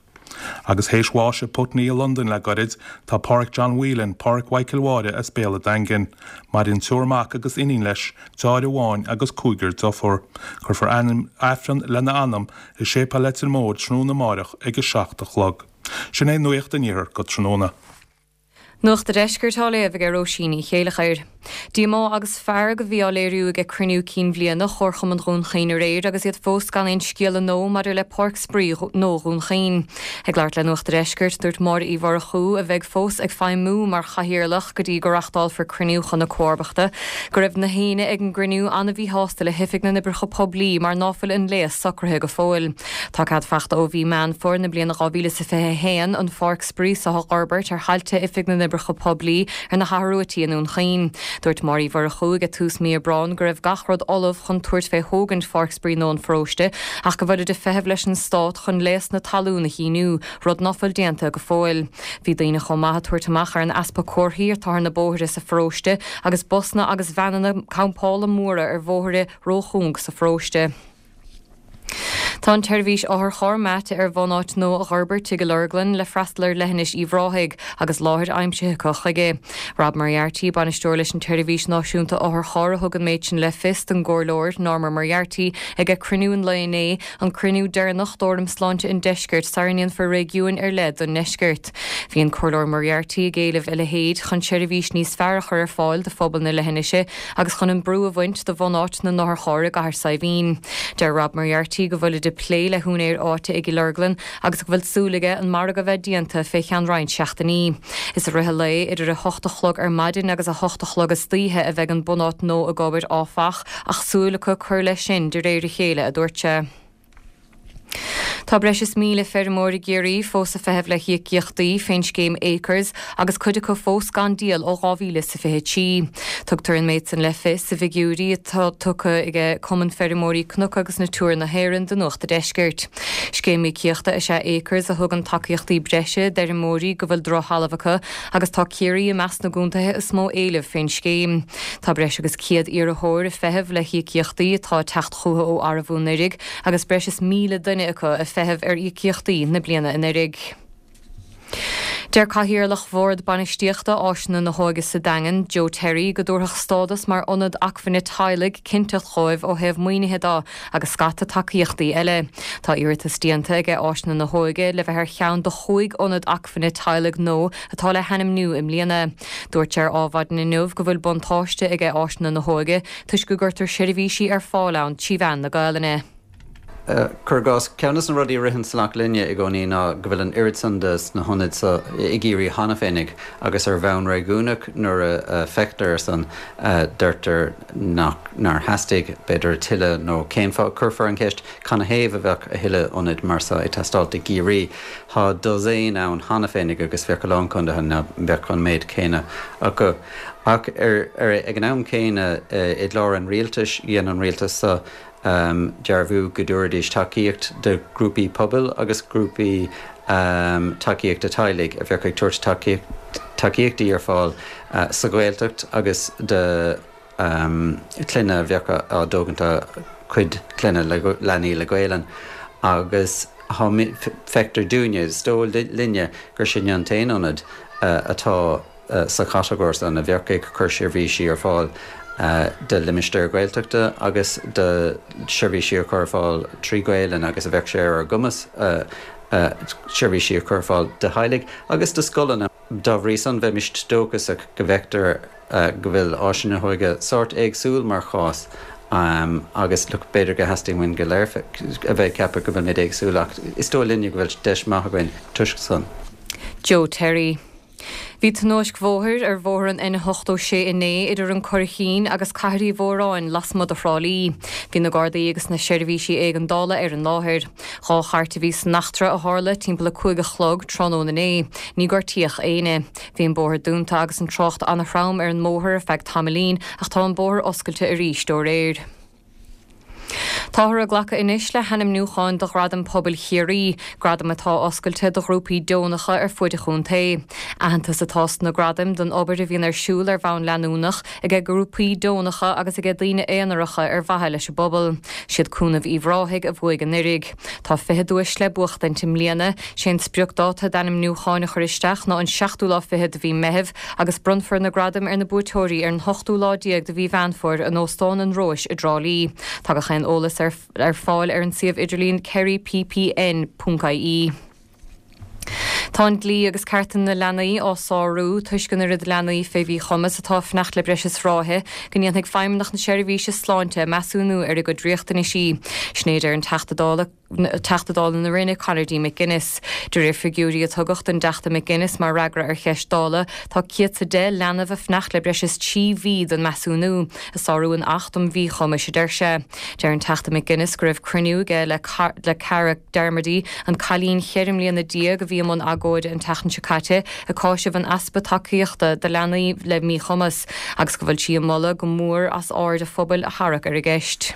Speaker 9: Agus théis bháis i Putney i Londain le goirid, tá Páraic John Whelan, Páraic Mhichael Mháire as Béal a' Daingin. Maireann triúr mac agus iníon leis, deartháir amháin agus cúigear deirfiúr. Cuirfear Aifreann lena anam i Séipéal Leitir Móir tráthnóna amáireach ag 7 a chlog. Sin é Nuacht an Iarthair go tráthnóna.
Speaker 12: Nuacht a' Deiscirt á léamh ag Róisín Ní Chéileachair. Díomá agus fearg a bhí á léiriú ag cruinniú cinn bhliana Chomharchumann Dhún Chaoin aréir agus iad fós gan aon scéala nua maidir le Páirc Spraoi nua Dhún Chaoin. Ag labhairt le Nuacht a' Deiscirt, dúirt Máire Uí Mhurchú, a bheidh fós ag feidhmiú mar chathaoirleach go dtí go reachtálfar cruinniú chun a comharbachta, go raibh na héinne ag an gcruinniú an-mhíshásta le hOifig na nOibreacha Poiblí mar ná fuil an léas socraithe go fóill. Tá cead fachta ó mhí Meán Fómhair na bliana 2021 an pháirc spraoi seo a dh'fhorbairt ar thailte Oifig na nOibreacha Poiblí ar na hAthrú Tí i nDún Chaoin. Dúirt Máire Uí Mhurchú ag tús mí Aibreáin go raibh gach rud ullamh chun tabhairt fé thógaint pháirc spraoi nua an pharóiste ach go bhfuilid ag feitheamh leis an Stát chun léas na talún a shíniú, rud ná fuil déanta go fóill. Bhí daoine chomh maith ag tabhairt amach ar an easpa comharthaí atá ar na bóithre sa pharóiste agus busanna agus veaineanna campála móra ar bhóithre róchúng sa pharóiste. Tá an tseirbhís otharcharr meáite ar bhunáit nua a dh'fhorbairt i gCill Orglan le freastal ar leithinis Uíbh Ráthaigh agus láthair aimsithe acu chuige. Rob Moriarty, bainisteoir leis an tSeirbhís Náisiúnta Otharcharr a thug an méid sin le fios don gComhairleoir Norma Moriarty ag cruinniú an lae inné, an cruinniú deireanach d'Fhóram Sláinte an Deiscirt sara ndéanfar réigiúin ar leith don nDeisceart. Bhí an Comhairleoir Moriarty ag éileamh a leithéid chun seirbhís níos fearr a chur ar fáil do phobal na leithinise agus chun an brú a bhaint de bhunáit na n-otharcharr i gCathair Saidhbhín. Deir Rob Moriarty go bhfuilid ag plé le húinéir áite i gCill Orglan agus go bhfuil súil aige an margadh a bheith déanta fé cheann roinnt seachtainí. Is i rith an lae, idir 8 a chlog ar maidin agus 8 a chlog istoíche a bheidh an bunáit nua ag obair, áfach, ach súil acu cur leis sin de réir a chéile, a dúirt sé. Tá breis is 1,000 feirmeoir i gCiarraí fós ag feitheamh le híocaíochtaí fén scéim Acres agus cuid acu fós gan díol ó 2023. Tugtar an méid san le fios i bhfigiúirí atá tugtha ag Cumann Feirmeoirí Cnoc agus Natura na hÉireann do Nuacht a' Deiscirt. Scéim íocaíochta is ea Acres a thugann tacaíochtaí breise d'fheirmeoirí go bhfuil drochthalamh acu agus tá Ciarraí i measc na gcontaetha is mó éileamh fén scéim. Tá breis agus 100 iarrthóir ag feitheamh le híocaíochtaí atá ag teacht chucu ó arbhú anuraidh agus breis is 1,000 duine acu ag feitheamh ar íocaíochtaí na bliana anuraidh. Deir Cathaoirleach Bhord Bainistíochta Áiseanna na hÓige sa Daingean, Joe Terry, go dtabharfadh stádas mar ionad acmhainne teaghlaigh cinnteacht dhóibh ó thaobh maoinithe de agus scata tacaíochtaí eile. Tá iarratas déanta aige Áiseanna na hÓige le bheith ar cheann de chúig ionad acmhainne teaghlaigh nua atá le hainmniú i mbliana. Dúirt sé ar Adhmhaidin inniu go bhfuil buntáiste aige Áiseanna na hÓige toisc go gcuirtear seirbhísí ar fáil ann trí mheán na Gaelainne.
Speaker 13: Cuir i gcás, ceann de na rudaí a ritheann salach linne i gcónaí ná go bhfuil an oiread san de na hionaid so i gCiarraí cheana féinig agus ar bhonn réigiúnach nuair a feictear air san deirtear nach nár theastaigh b'fhéidir a tuilleadh nó cén fáth, cuirfear an cheist canathaobh a bheadh a thuilleadh ionaid mar so ag teastáilt i gCiarraí. Tá dosaen ann cheana féinig agus bheadh a lán condaetha ná beadh an méid céanna acu. Ach ar ag an am céanna i gclár an rialtais, dhein an rialtas so dearbhú go dtabharfaidís tacaíocht do ghrúpaí pobail agus grúpaí tacaíochta teaghlaigh a bheadh ag tabhairt tacaíochtaí ar fáil sa Ghaeltacht agus do chlanna a bheadh á dtógaint dá gcuid clainne le leanaí le Gaelainn agus feictear dúinne, is dóigh linne gur sinne an t-aon ionad atá sa chatagóir san a bheadh ag cur seirbhísí ar fáil do limistéir Ghaeltachta agus do sheirbhísí a chur ar fáil trí Ghaelainn agus a bheadh sé ar ár gcumas seirbhísí a chur ar fáil do theaghlaigh agus do scoileanna. Dá bhrí san, bheimis dóchasach go bhfeictear go bhfuil Áiseanna na hÓige sórt éagsúil mar chás agus look b'fhéidir go theastaíonn uainn go léir a bheith ag ceapadh go bhfuilimid éagsúil ach is dóigh linne go bhfuil deis maith againn toisc san.
Speaker 12: Joe Terry. Bhí tionóisc bhóthair ar bhóthar an N86 inné idir an Curraichín agus Cathair Uí Mhóráin lasmuigh de Thrá Lí. Bhí na Gardaí agus na seirbhísí éigeandála ar an láthair. Dá chairt a bhí san eachtra a tharla timpeall 5 a chlog tráthnóna inné. Ní gortaíodh éinne. Bhí an bóthar dúnta agus an trácht ana-throm ar an mbóthar ar feadh tamaillín ach tá an bóthar oscailte arís ó aréir. Táthar ag glacadh anois le hainmniúcháin do Ghradaim Pobail Chiarraí, gradaim atá oscailte do ghrúpaí deonacha ar fuaid an chontae. Aitheantas atá sna gradaim don obair a bhíonn ar siúl ar bhonn leanúnach aige grúpaí deonacha agus aige daoine aonaracha ar mhaithe leis an bpobal. Siad Cúnamh Uíbh Ráthaigh a bhuaigh anuiridh. Tá 20 duais le buachtaint i mbliana. Sé an spriocdáta d'ainmniúcháin a chur isteach ná an seachtú lá fichead de mhí Meithimh agus bronnfar na gradaim ar na buaiteoirí ar an hochtú lá déag de mhí Mheán Fómhair in Óstán an Róis i dTrá Lí. Tá gach aon eolas ar ar fáil ar an suíomh idirlín kerryppn. ie. Tá an dlí agus cearta na leanaí á sárú toisc an oiread leanaí fé mhíchumas atá ag fanacht le breis is ráithe go ndéanfaidh Feidhmeannacht na Seirbhíse Sláinte measúnú ar a gcuid riachtanaisí. Sin é a deir an Teachta Dála. Teachta Dála na Rinne, Conor D. McGuinness. De réir figiúirí a tugadh don dTeachta McGuinness mar fhreagra ar cheist Dála, tá 110 leanbh ag fanacht le breis is 3 mhí don measúnú, ag sárú an Acht um Mhíchumais, a deir sé. Deir an Teachta McGuinness go raibh cruinniú aige le le Cara Darmody, an cailín cheithre mbliana déag a bhí i mbun agóide an tseachtain seo caite ag cáiseamh an easpa tacaíochta do leanaí le míchumas, agus go bhfuil sí ag moladh go mór as aird an phobail a tharrac ar an gceist.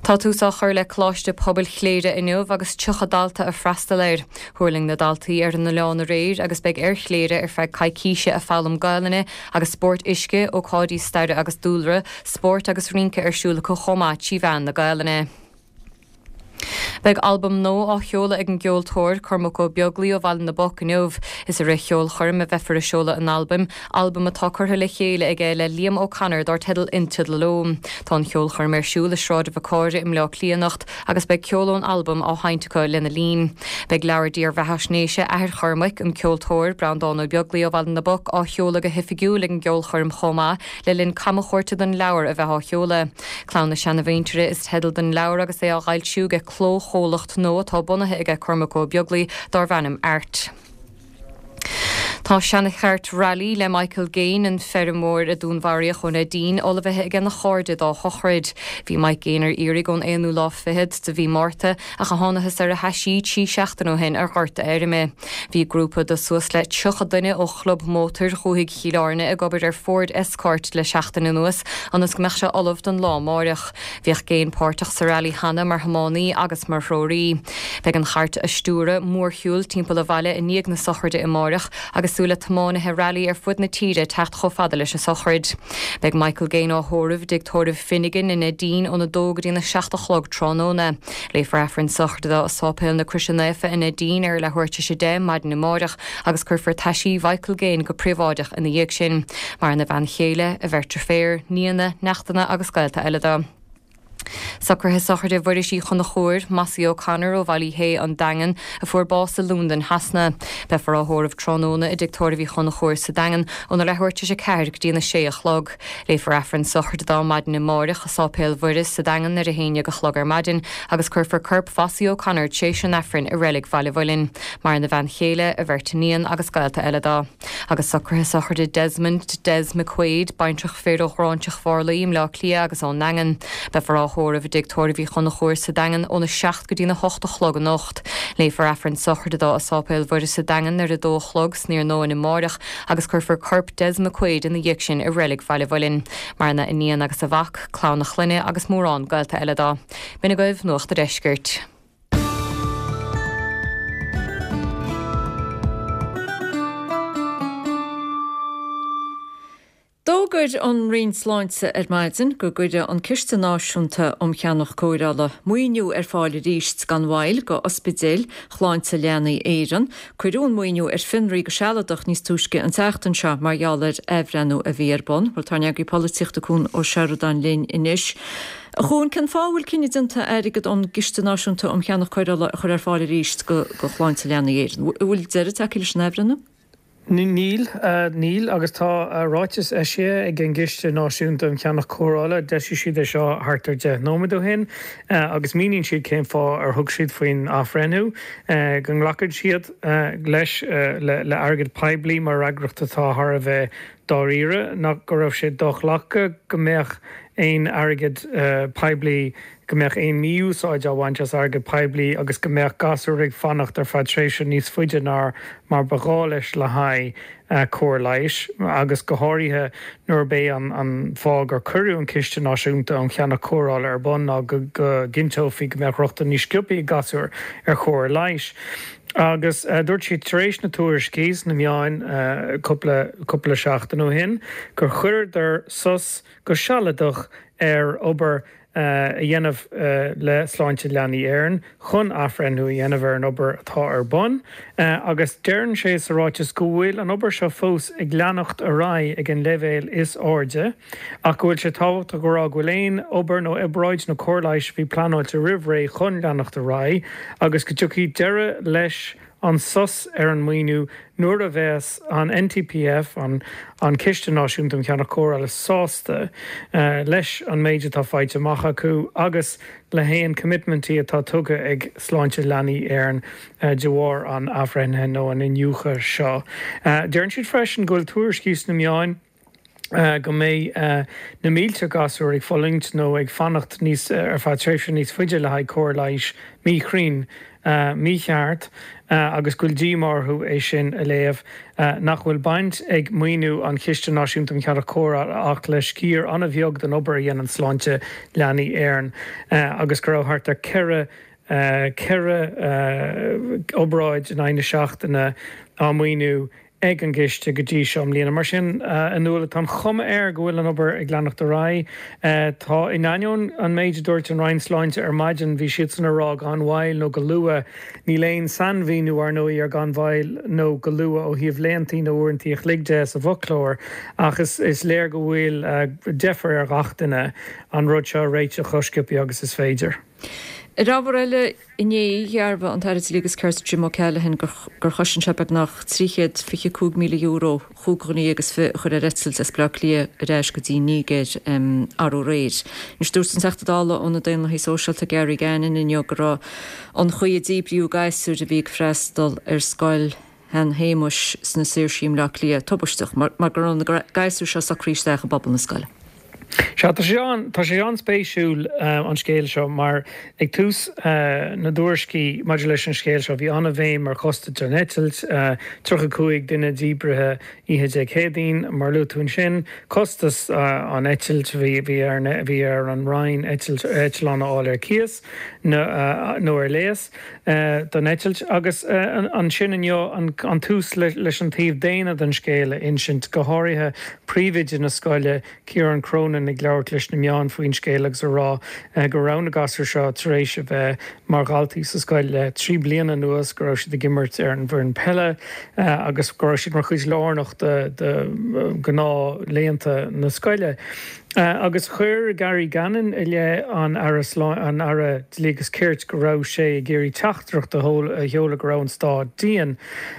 Speaker 12: Tá tús á chur le Coláiste Pobail Chléire inniu agus 30 dalta ag freastal air. Thuirling na daltaí ar an oileán aréir agus beidh ar Chléire ar feadh coicíse ag foghlaim Gaelainne agus spóirt uisce, ócáidí staire agus dúlra, spórt agus rince ar siúl acu chomh maith trí mheán na Gaelainne. Beidh albam nua á sheoladh ag an gceoltóir, Cormac Ó Beaglaoi ó Bhaile na bPoc inniu. Is i rith cheolchoirm a bheifear ag seoladh an albaim, albam atá curtha le chéile aige le Liam O'Connor dar teideal Into the Loam. Tá an cheolchoirm ar siúl i Sráid Mhacaire i mBleá Cliath anocht agus beidh ceol ón albam á sheinnt acu lena linn. Beidh leabhar dírbheathaisnéise athair Chormaic, an ceoltóir, Breandán Ó Beaglaoi ó Bhaile na bPoc, á sheoladh go hoifigiúil ag an gceolchoirm chomh maith le linn camchuairte don leabhar a bheith á sheoladh. Clann na Seanamhuintire is teideal don leabhar agus é á fhoilsiú ag clóchomhlacht nua atá bunaithe aige Cormac Ó Beaglaoi darbh ainm Art. Tá seana-chairt Rally le Michael Gaine, an feirmeoir a dúnmharaíodh ó Neidín, ullmhaithe aige na chairde dá shochraid. Bhí Mike Gaine ar iarraidh ón aonú lá fichead de mhí Márta ach a thánathas ar a thaisí 3 seachtaine ó shin ar ghort a fheirme. Bhí grúpa de suas le 30 duine ó Chlub Mótair Dhúthaigh Chill Airne ag obair ar Ford Escort le seachtain anuas ionas go mbeadh sé ullamh don lá amáireach. Bhíodh Gaine páirteach sa Rally cheana mar thiománaí agus mar threoraí. Beidh an chairt á stiúradh mórshiúl timpeall an bhaile i ndiaidh na sochraide amáireach agus súil le tiománaithe Rally ar fud na tíre teacht chomh fada leis an sochraid. Beidh Michael Gaine á thórramh i dtigh tórraimh Finnegan i Neidín óna dó go dtína 7 a chlog tráthnóna. Léifear Aifreann sochraide dó i Sáipéal na Croise Naofa i Neidín ar a leathuair tar éis a 10 maidin amáireach agus cuirfear taisí Mhichael Gaine go príobháideach ina dhiaidh sin. Maireann a bhean chéile, a bheirt deirféar, nianna, neachtanna agus gaolta eile dó. Socruithe sochraide Mhuiris Uí Chonchúir, Mossie O'Connor ó Bhaile Uí Shé, An Daingean, a fuair bás i Londain Shasana. Beifear á thórramh tráthnóna i dtigh tórraimh Uí Chonchúir sa Daingean óna leathuair tar éis a 4 go dtí an 6 a chlog. Léifear Aifreann sochraide dó maidin amáireach i Sáipéal Mhuire sa Daingean ar a haon dhéag a chlog ar maidin agus cuirfear corp Mhossie O'Connor tréis an Aifrinn i Reilig Bhaile Mhuilinn. Maireann a bhean chéile, a bheirt iníon agus gaolta eile dó. Agus socruithe sochraide Desmond Des McQuaid, baintreach fir ó Ghráinseach Mharlaí i mBleá Cliath agus ón nDaingean. Beifear á thórramh i dtigh tórraimh Uí Chonchúir sa Daingean óna 7 go dtína 8 a chlog anocht. Léifear Aifreann sochraide dó i Sáipéal Mhuire sa Daingean ar a dó a chlog san iarnóin amáireach agus cuirfear corp Des McQuaid ina dhiaidh sin i Reilig Bhaile Mhuilinn. Maireann a iníon agus a mhac, clann a chlainne agus mórán gaolta eile dó. B'in agaibh Nuacht a' Deiscirt.
Speaker 1: D'fhógair an Roinn Sláinte ar maidin go gcuirfidh an Ciste Náisiúnta um Cheannach Cóireála maoiniú ar fáil arís gan mhoill go ospidéil Shláinte Leanaí Éireann. Cuireadh an maoiniú ar fionraí go sealadach níos túisce an tseachtain seo mar gheall ar athbhreithniú a bhí ar bun. Bhuel tá ár n-eagraí polaitíochta Cuan Ó Seireadáin linn anois. A Chuain, cén fáth a bhfuil cinneadh déanta airgead ón gCiste Náisiúnta um Cheannach Cóireála a chur ar fáil arís go Shláinte Leanaí Éireann? An bhfuil deireadh tagtha leis an athbhreithniú?
Speaker 14: Níl, níl, agus tá ráiteas eisithe ag an gCiste Náisiúnta um Cheannach Cóireála, d'eisigh siad é seo thart ar 10 nóiméad ó shin, agus míníonn siad cén fáth ar thug siad faoin athbhreithniú, go nglacann siad leis le airgead poiblí mar fhreagracht atá thar a bheith dáiríre, nach go raibh sé do-ghlactha go mbeadh aon airgead poiblí go mbeadh aon mhí-úsáid á bhaint as airgead poiblí agus go mbeadh gasúir ag fanacht ar feadh tréimhse níos faide ná mar ba ghá leis le haghaidh cóir leighis, agus go háirithe nuair ab é an fáth gur cuireadh an Ciste Náisiúnta um Cheannach Cóireála ar bun ná go gcinnteofaí go mbeadh rochtain níos sciobtha ag gasúir ar chóir leighis. Agus dúirt siad tar éis na tuairiscí sna meáin cúpla cúpla seachtain ó shin gur chuireadar sos go sealadach ar obair a dhéanamh le Sláinte Leanaí Éireann chun athbhreithniú a dhéanamh ar an obair atá ar bun agus deireann sé sa ráiteas go bhfuil an obair seo fós ag leanacht ar aghaidh ag an leibhéal is airde ach go bhfuil sé tábhachtach a rá go bhfuil aon obair nó obráid nó cóir leighis a bhí pleanáilte roimh ré chun leanacht ar aghaidh agus go dtiocfaidh deireadh leis an sos ar an maoiniú nuair a bheas an NTPF, an Ciste Náisiúnta um Cheannach Cóireála, sásta leis an méid atá faighte amach acu agus le haon coimitmintí atá tugtha ag Sláinte Leanaí Éireann de bharr an athbhreithnithe nó an iniúchadh seo. Deireann siad freisin go bhfuil tuairiscí sna meáin, go mbeidh na mílte gasúr ag fulaingt nó ag fanacht níos ar feadh tréimhse níos faide le haghaidh cóir leighis míchruinn, mícheart agus go bhfuil díomá orthu é sin a léamh, nach bhfuil baint ag maoiniú an Chiste Náisiúnta um Cheannach Cóireála ach le sciar an-bheag den obair a dhéanann Sláinte Leanaí Éireann agus go raibh thart ar 4 obráid in aghaidh na seachtaine á maoiniú. ag an gciste go dtí seo i mbliana. Mar sin, a Nuala, tá an chuma air go bhfuil an obair ag leanacht ar aghaidh. Tá, in ainneoin an méid a dúirt an Roinn Sláinte ar maidin, bhí siadsan ag rá gan mhoill nó go luath. Níl aon sainmhíniú, ar ndóigh, ar gan mhoill nó go luath ó thaobh laethantaí nó uaireantaí a chloig de sa bhfoclóir ach is léir go bhfuil deifir ar ghach duine an rud seo a réiteach chomh sciobtha agus is féidir.
Speaker 1: Ar ábhar eile, inné, dhearbhaigh an tAire Dlí agus Cirt Jim O'Callaghan gur chosain sé beagnach €325,000 chúig dhuine dhéag is fi a chuir ar eitilt as Baile Átha Cliath ar ais go dtí an Nigéir arú aréir. Anois dúirt an Teachta Dála ó na Daonlathaigh Sóisialta Gary Gannon inniu go raibh an chaoi a díbríodh gasúir a bhí ag freastal ar scoil Shan Shéamuis sna Saoirsí i mBleá Cliath tubaisteach mar go raibh na gasúir seo socraithe isteach i bpobal na scoile.
Speaker 14: Sea, tá sé an, tá sé an-spéisiúil an scéal seo mar ag tús na dtuairiscí maidir leis an scéal seo bhí an-bhéim ar chostas an eitilt, 35 duine díbrithe oíche Dé Céadaoin, mar a luaigh tú ansin, costas an eitilt, bhí, bhí ar, bhí ar an Roinn eitilt, eitleán a fháil ar cíos nó, nó ar léas don eitilt agus ansin inniu an tús leis an taobh daonna den scéal a insint, go háirithe príomhoide na scoile, Ciarán Cronin ag labhairt leis na meáin faoin scéal agus a rá go raibh na gasúir seo tar éis a bheith mar dhaltaí sa scoil le 3 bliana anuas, go raibh siad ag imirt ar an bhfoireann peile agus go raibh siad mar chuid lárnach de ghnáthlaethanta na scoile. Agus chuir Gary Gannon i leith an Aire an Aire Dlí agus Cirt go raibh sé ag iarraidh teachtaireacht a sheoladh go raibh an stát dian.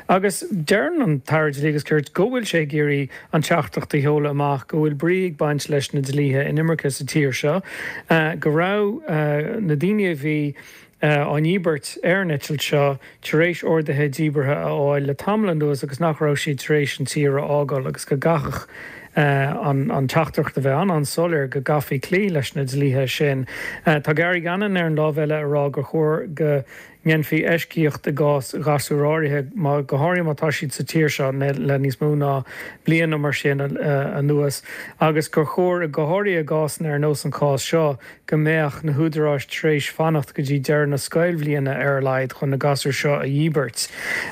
Speaker 14: Agus deireann an tAire Dlí agus Cirt go bhfuil sé ag iarraidh an teachtaireacht a sheoladh amach go bhfuil brí ag baint leis na dlíthe inimirce sa tír seo, go raibh na daoine a bhí á ndíbirt ar an eitilt seo tar éis orduithe díbeartha a fháil le tamall anuas agus nach raibh siad tar éis an tír a fhágáil agus go gcaithfeadh an teachtaireacht a bheith an-an-soiléir go gcaithfí cloí leis na dlíthe sin. Tá Gary Gannon ar an lámh eile ag rá gur chóir go ndéanfaí eisceacht i gcás ghasúir áirithe, go háirithe má tá siad sa tír seo le níos mó ná bliain nó mar sin anuas, agus gur chóir, go háirithe i gcásanna ar nós an chás seo, go mbeadh na húdaráis tar éis fanacht go dtí deireadh na scoilbhliana ar a laghad chun na gasúir seo a dhíbirt.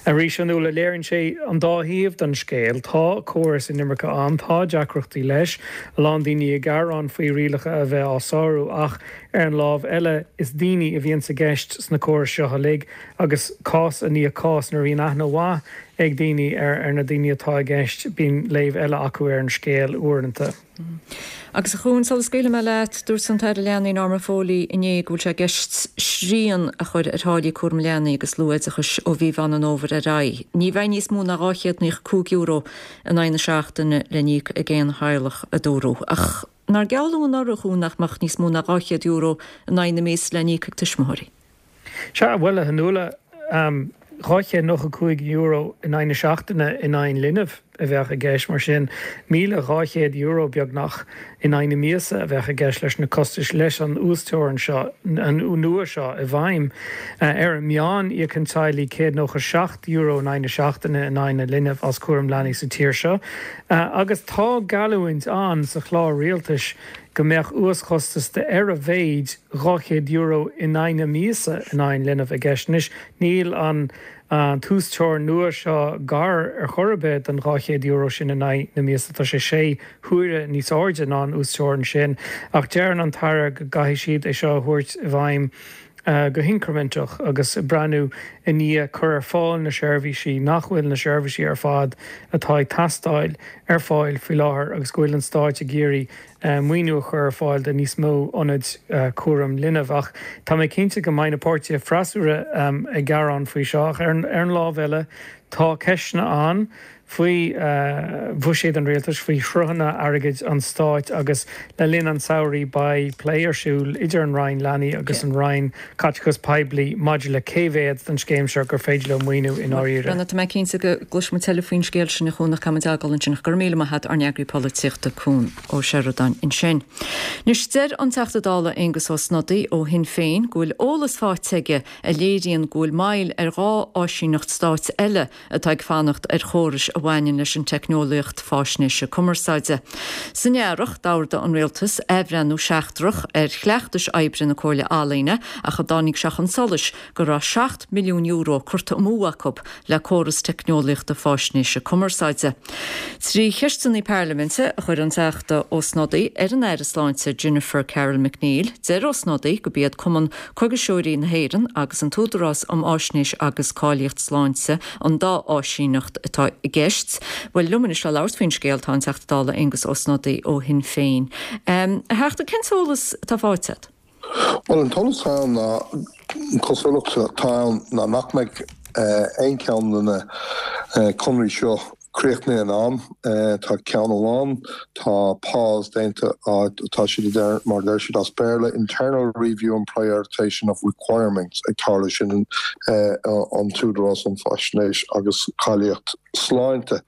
Speaker 14: Arís, a Nuala, léiríonn sé an dá thaobh den scéal. Tá córas inimirce ann, tá deacrachtaí leis, a lán daoine ag gearán faoi rialacha a bheith á sárú ach, Ar an lámh eile, is daoine a bhíonns i gceist sna córais seo uilig agus cás i ndiaidh cás nuair a bhíonn aithne mhaith ag daoine ar na daoine atá i gceist, bíonn léamh eile acu ar an scéal uaireanta.
Speaker 1: Agus a Chuain, sula scaoilfidh mé leat, dúirt an tAire Leanaí Norma Foley inné go bhfuil sé i gceist srian a chur ar tháillí cúram leanaí agus luath-oideachais ó mhí Mheán an Fhómhair ar aghaidh. Ní bheidh níos mó ná €295 in aghaidh na seachtaine le n-íoc ag aon theaghlach, a dúradh. Ach. Nár gealladh anuraidh a Chuain nach mbeadh níos mó ná €200 in aghaidh na míosa le n-íoc ag tuismitheoirí?
Speaker 14: Sea, bhuel, a Fhionnuala, €295 in aghaidh na seachtaine in aghaidh an linbh a bheadh i gceist, mar sin €1,200 beagnach in aghaidh na míosa a bheadh i gceist leis na costais leis an uasteorainn seo, an nua seo i bhfeidhm. Ar an meán, íocann teaghlaigh €197 in aghaidh na seachtaine in aghaidh an linbh as cúram leanaí sa tír seo. Agus tá geallúint ann sa chlár rialtais go mbeadh uaschostas de ar a mhéid €200 in aghaidh na míosa in aghaidh an linbh i gceist. Anois, níl an t-uasteorainn nua seo gar ar chor ar bith don €200 sin in aghaidh na míosa, tá sé sé huaire níos airde ná an uasteorainn sin. Ach deireann an tAire go gcaithfidh siad é seo a thabhairt i bhfeidhm go hincriminteach agus breathnú i ndiaidh cur ar fáil na seirbhísí, nach bhfuil na seirbhísí ar fad atá ag teastáil ar fáil faoi láthair agus go bhfuil an Stáit ag iarraidh maoiniú a chur ar fáil do níos mó ionaid cúram linbh. Ach tá mé cinnte go mbeidh na páirtithe freasúra ag gearán faoi seo. Ach ar an lámh eile tá ceisteanna ann faoi bhuiséad an rialtais, faoi shruthanna airgid an stáit agus le linn an tsamhraidh beidh plé ar siúl idir an Roinn Leanaí agus an Roinn Caiteachais Poiblí maidir le cé mhéad den scéim seo gur féidir leo maoiniú i ndáiríre.
Speaker 1: Bhuel, tá mé cinnte go gcloisfidh muid tuilleadh faoin scéal sin a Chuain ach caithfidh muid fágáil ansin ach go raibh míle maith agat ár n-eagraí polaitíochta Cuan Ó Seireadáin ansin. Anois deir an Teachta Dála Aengus Ó Snodaigh ó Shinn Féin go bhfuil eolas faighte aige a léiríonn go bhfuil moill ar dhá áisíneacht stáit eile. atá ag fanacht ar chórais a bhaineann leis an teicneolaíocht faisnéise cumarsáide. San earrach, d'ordaigh an Rialtas athbhreithniú seachtrach ar chleachtais oibre na Comhairle Ealaíne ach a dtáinig sé chun solais go raibh €7 milliún curtha amú acu le córas teicneolaíochta faisnéise cumarsáide. 3 cheisteanna parlaiminte a chuir an Teachta Ó Snodaigh ar an Aire Sláinte Jennifer Carroll MacNeill. Deir Ó Snodaigh gurb iad Cumann Coigiseoirí na hÉireann agus an tÚdarás um Fháisnéis agus Cáilíocht Sláinte an dá áisíneacht atá i gceist. Bhuel, liom anois le labhairt faoin scéal tá an Teachta Dála Aengus Ó Snodaigh ó Shinn Féin. A Theachta, cén t-eolas atá faighte agat?
Speaker 15: Bhuel, an t-eolas atá ann ná, an chosúlacht atá ann ná nach mbeidh aon cheann de na conairí seo críochnaithe in am. Tá ceann amháin, tá pause déanta, tá siad a deir, mar a deir siad as Béarla, internal review and prioritisation of requirements ag tarlú, sin an tÚdarás um Faisnéis agus Cáilíocht Sláinte.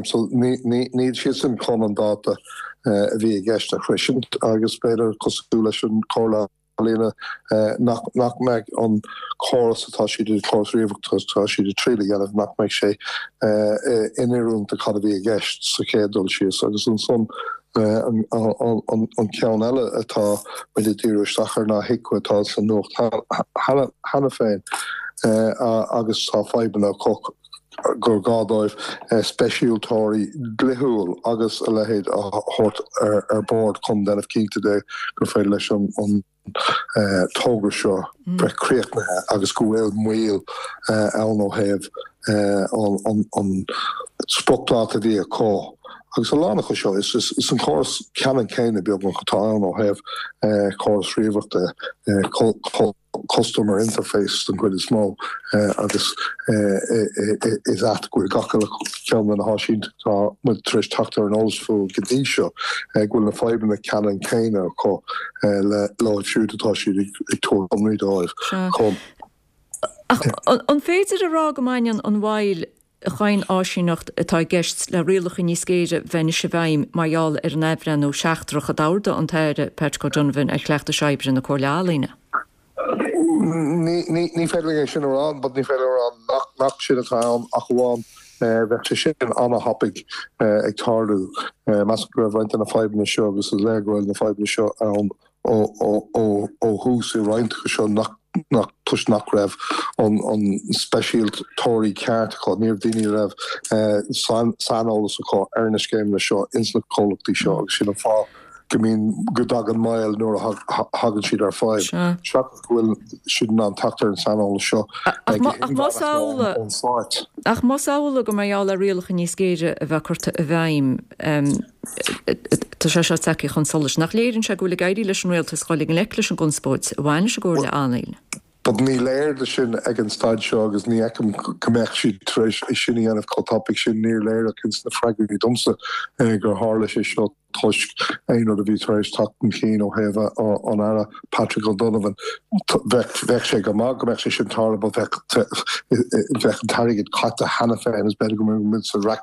Speaker 15: So níl siadsan chun an dáta a bhí i gceist a shroisint agus b'fhéidir, cosúil leis an Chomhairle Ealaíona, nach mbeidh an córas atá siad, an córas ríomhaireachta atá siad ag triail a dhéanamh, nach mbeidh sé in oiriúint do cad a bhí i gceist sa chéad dul síos. Agus ansan an ceann eile atá muid ag díriú isteach air ná HIQA atá sa nuacht cheana féin agus tá fadhbanna acu. gur gá dóibh speisialtóirí dlíthiúil agus a leithéid a thabhairt ar bord chun déanamh cinnte de gur féidir leis an togra seo bheith críochnaithe agus go bhfuil moill ann ó thaobh an spriocdháta a bhí acu. Agus a lán acu seo, is an córas ceannann céanna beagnach atá ann ó thaobh córas ríomhaireachta, customer interface den chuid is mó agus is ait go bhfuil gach uile cheann de na háisínteachtaí atá muid tar éis teacht ar an eolas fúthu go dtí seo, go bhfuil na fadhbanna ceannann céanna acu leo siúd atá siad ag tabhairt conraí dóibh.
Speaker 1: Ach an féidir a rá go mbaineann an mhoill chaon áisíneacht atá i gceist le rialacha níos géire bheith anois i bhfeidhm mar gheall ar an athbhreithniú seachtrach a d'ordaigh an tAire Patrick O'Donovan ar chleachtais oibre na Comhairle Ealaíne.
Speaker 15: Ní féidir linn é sin a rá, but ní féidir a rá nach sin atá ann ach amháin bheadh sé sin an-thapaidh ag tarlú. Measaim go raibh roinnt de na fadhbanna seo agus is léir go bhfuil na fadhbanna seo ann ó thús i roinnt acu seo nach toisc nach raibh an speisialtóirí ceart acu, ní raibh daoine a raibh saineolas acu ar na scéimeanna seo ins na comhlachtaí seo agus sin an fáth go mbíonn, go dtagann moill nuair a thagann siad ar fadhb, seachas go bhfuil siad in ann teacht ar an saineolas seo go
Speaker 1: hinmheánach ón Stát. Ach más amhlaidh gur mar gheall ar rialacha níos géire a bheith curtha i bhfeidhm, Tá sé seo tagtha chun solais. Nach léiríonn sé go bhfuil ag éirí leis an rialtas dul i ngleic leis an gconspóid a bhain leis an gComhairle Ealaíon?
Speaker 15: But ní léir do sin ag an staid seo agus ní fheicim go mbeadh siad tar éis é sin a dhéanamh chomh tapaidh sin. Níor léir ach ins na freagraí domsa gur tharla sé seo toisc aon rud a bhí tar éis teacht chun cinn ó thaobh an Aire Patrick O'Donovan. Bheadh bheadh sé go maith go mbeadh sé sin tarlaithe but bheadh bheadh an t-airgead caite cheana féin is b'fhéidir go mbeadh muid sa raic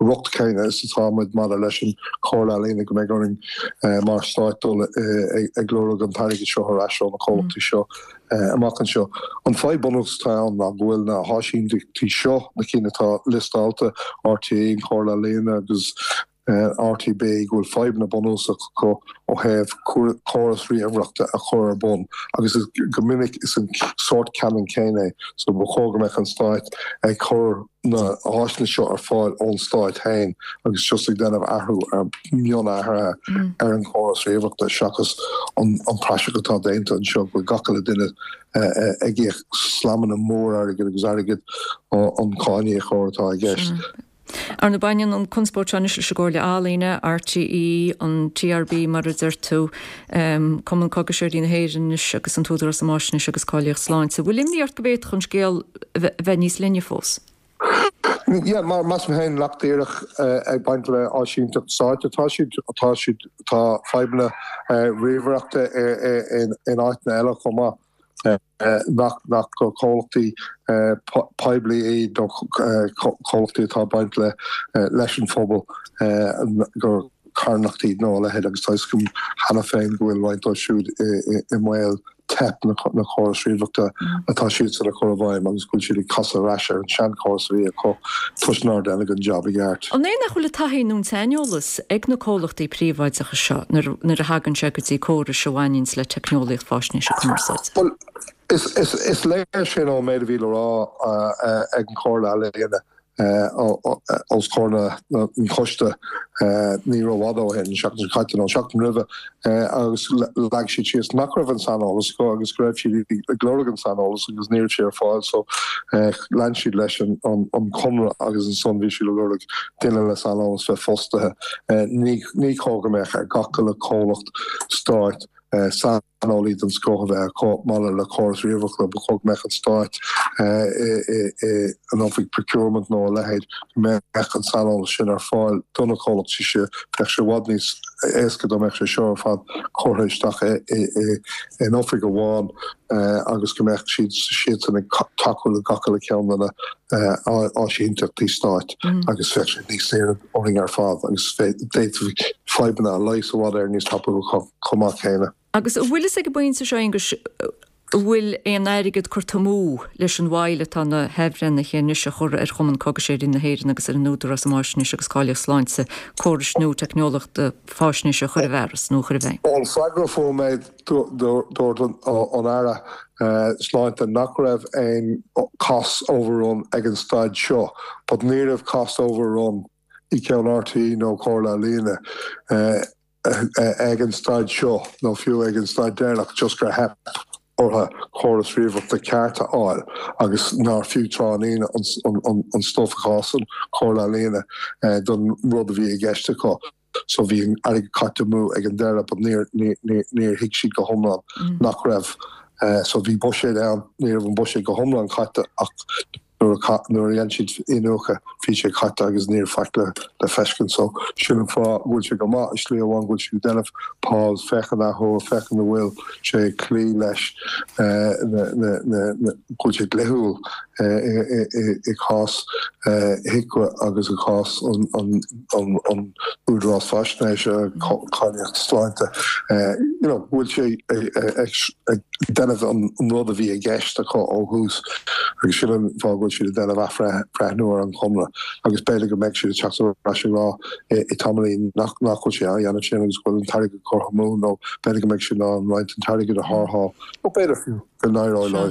Speaker 15: riocht céanna is atá muid maidir leis an Chomhairle Ealaíona go mbeidh orainn mar stáit dul ag lorg an t-airgead seo ar ais ó na comhlachtaí seo amach anseo. An fadhb bunúsach atá ann ná go bhfuil na háisínteachtaí seo, na cinn atá liostáilte, RTÉ, an Chomhairle Ealaíona agus RTB, go bhfuil fadhbanna bunúsach acu ó thaobh córas ríomhaireachta a chur ar bun agus go minic is an sórt ceannann céanna é so ba chóir go mbeadh an stáit ag cur na háiseanna seo ar fáil ón stáit féin agus just ag déanamh athrú ar mionathruithe ar an chóras ríomhaireachta seachas an praiseach atá déanta anseo go bhfuil gach uile duine ag íoc slamanna mór airgid agus airgead an cáiníocóir atá i gceist.
Speaker 1: Ar ndóigh baineann an conspóid seo anois leis an gComhairle Ealaíne, RTÉ, an TRB mar a deir tú, Cumann Coigiseoirí na hÉireann anois agus an tÚdarás um Fháisnéis agus Cáilíocht Sláinte. Bhfuil imní ort go bhféadfadh an scéal bheith níos leithne fós?
Speaker 15: Yeah, mar measaim féin nach díreach ag baint le áisínteacht stáit atá siad, tá siad, tá fadhbanna ríomhaireachta in áiteanna eile chomh maith. nach nach gur comhlachtaí poiblí iad nó comhlachtaí atá ag baint le leis an phobal gur carthanachtaí nó a leithéid agus tá a fhios agam cheana féin go bhfuil roinnt dóibh siúd i mbaol. Theip na córais ríomhaireachta atá siadsan a chur i bhfeidhm agus go bhfuil siad ag casadh ar ais ar an seanchóras a bhí acu toisc nár deineadh an jab i gceart.
Speaker 1: An é nach bhfuil an taithí nó an saineolas ag na comhlachtaí príobháideacha seo nuair a thagann sé go dtí córais a bhaineanns le teicneolaíocht faisnéise cumarsáide?
Speaker 15: Bhuel, is léir sin ón méid a bhí le rá ag an Chomhairle Ealaíona os comhair an choiste ní rófhada ó shin, an seachtain seo caite nó an seachtain roimhe, agus leag siad síos nach raibh an saineolas acu agus go raibh siad ag lorg an saineolas agus ní raibh sé ar fáil so lean siad leis an conradh agus ansan bhí siad ag lorg duine le saineolas bheith fostaithe. Ní chóir go mbeadh ar gach uile chomhlacht stáit saineolaí den scoth a bheith acu maidir le córas ríomhaireachta. Ba chóir go mbeadh an Stát in oifig procurement nó a leithéid, go mbeadh an saineolas sin ar fáil do na comhlachtaí seo. Bheadh sé i bhfad níos éasca dá mbeadh sé seo ar fad curtha isteach in oifig amháin agus go mbeadh siad siadsan ag tacú le gach uile cheann de na áisínteachtaí stáit agus bheadh sé níos saoire orainn ar fad agus d'fhéadfaí fadhbanna a leigheas i bhfad Éireann níos tapúla chomh maith céanna.
Speaker 1: Agus an bhfuil fhios ag an bpointe seo, Aonghus, an bhfuil aon airgead curtha amú leis an mhoill atá na hathbhreithnithe anois a chur ar Chumann Cógaiseoirí na hÉireann agus ar an Údarás um Fháisnéis agus Cáilíocht Sláinte córais nua teicneolaíochta faisnéise a chur i bhfearas nó a chur i bhfeidhm?
Speaker 15: Ón bhfreagra a fuair mé, dúirt an Aire Sláinte nach raibh aon cost overrun ag an staid seo, but ní raibh cost overrun i gceann RTÉ nó Comhairle Ealaíona ag an staid seo, nó fiú ag an staid deireanach, just gur theip orthu córas ríomhaireachta ceart a fháil agus nár fiú tráithnín an stuif a chás an Chomhairle Ealaíona don rud a bhí i gceist acu. So bhí an airgead caite amú ag an deireadh but níor, níor, níor thuig siad go hiomlán nach raibh, so bhí buiséad ann, ní raibh an buiséad go hiomlán caite ach nuair a, nuair a dhein siad iniúchadh bhí sé caite agus ní raibh faic le, le feiscint. So sin an fáth go bhfuil sé go maith i slí amháin go bhfuil siad ag déanamh pause, féachaint athuair, féachaint an bhfuil sé ag cloí leis na, na, na, na, go bhfuil sé dlíthiúil i gcás HIQA agus i gcás an, an, an Údarás Faisnéise, Cáilíocht Sláinte, you know, go bhfuil sé ag déanamh an rud a bhí i gceist acu ó thús agus sin an fáth go bhfuil siad ag déanamh athbhreithniú ar an chonradh agus b'fhéidir go mbeidh siad ag teacht ar ais ag rá i tamaillín nach bhfuil sé á dhéanamh sin agus go bhfuil an t-airgead curtha amú nó b'fhéidir go mbeidh siad in ann roinnt an t-airgead a tharrtháil nó b'fhéidir fiú go n-éireoidh leo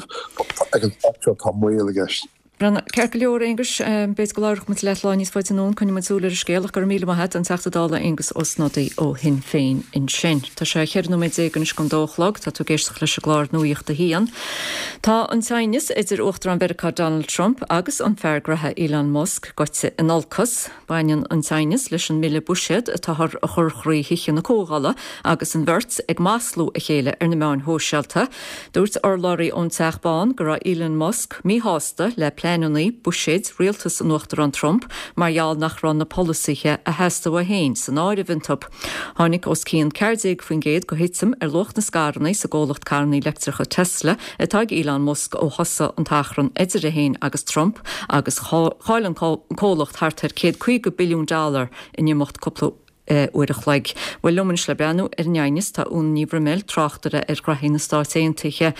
Speaker 15: ag an staid seo tá moill i gceist.
Speaker 1: Ceart go leor, Aonghus. B'fhéidir go labhróidh muid leat lá níos faide anonn. Coinneoidh muid súil ar an scéal ach go raibh míle maith a't, an Teachta Dála Aengus Ó Snodaigh ó Shinn Féin ansin. Tá sé 14 nóiméad anois don dó a chlog. Tá tú ag éisteacht leis an gclár Nuacht a hAon. Tá an t-aighneas idir Uachtarán Mheiriceá Donald Trump agus an fear graithe Elon Musk goite in olcas. Baineann an t-aighneas leis an mbille buiséad atáthar a chur thrí Thithe na Comhdhála agus an bheirt ag maslú a chéile ar na meáin shóisialta. Dúirt urlabhraí ón Teach Bán go raibh Elon Musk míshásta le pleananna buiséid rialtas an Uachtaráin Trump mar gheall nach raibh na polasaithe a theastaigh uaidh féin san áireamh iontu. Tháinig os cionn 14% de thitim ar luach na scaireanna sa gcomhlacht carranna leictreacha Tesla atá ag Elon Musk ó thosaigh an t-achrann idir é féin agus Trump agus chaill an comhlacht thart ar 150 billiún dollar in imeacht cúpla uair a chloig. Bhuel, liom anois le breathnú ar an aighneas tá Úna Ní Bhroiméil, tráchtaire ar ghraithí na Stáit Aontaithe.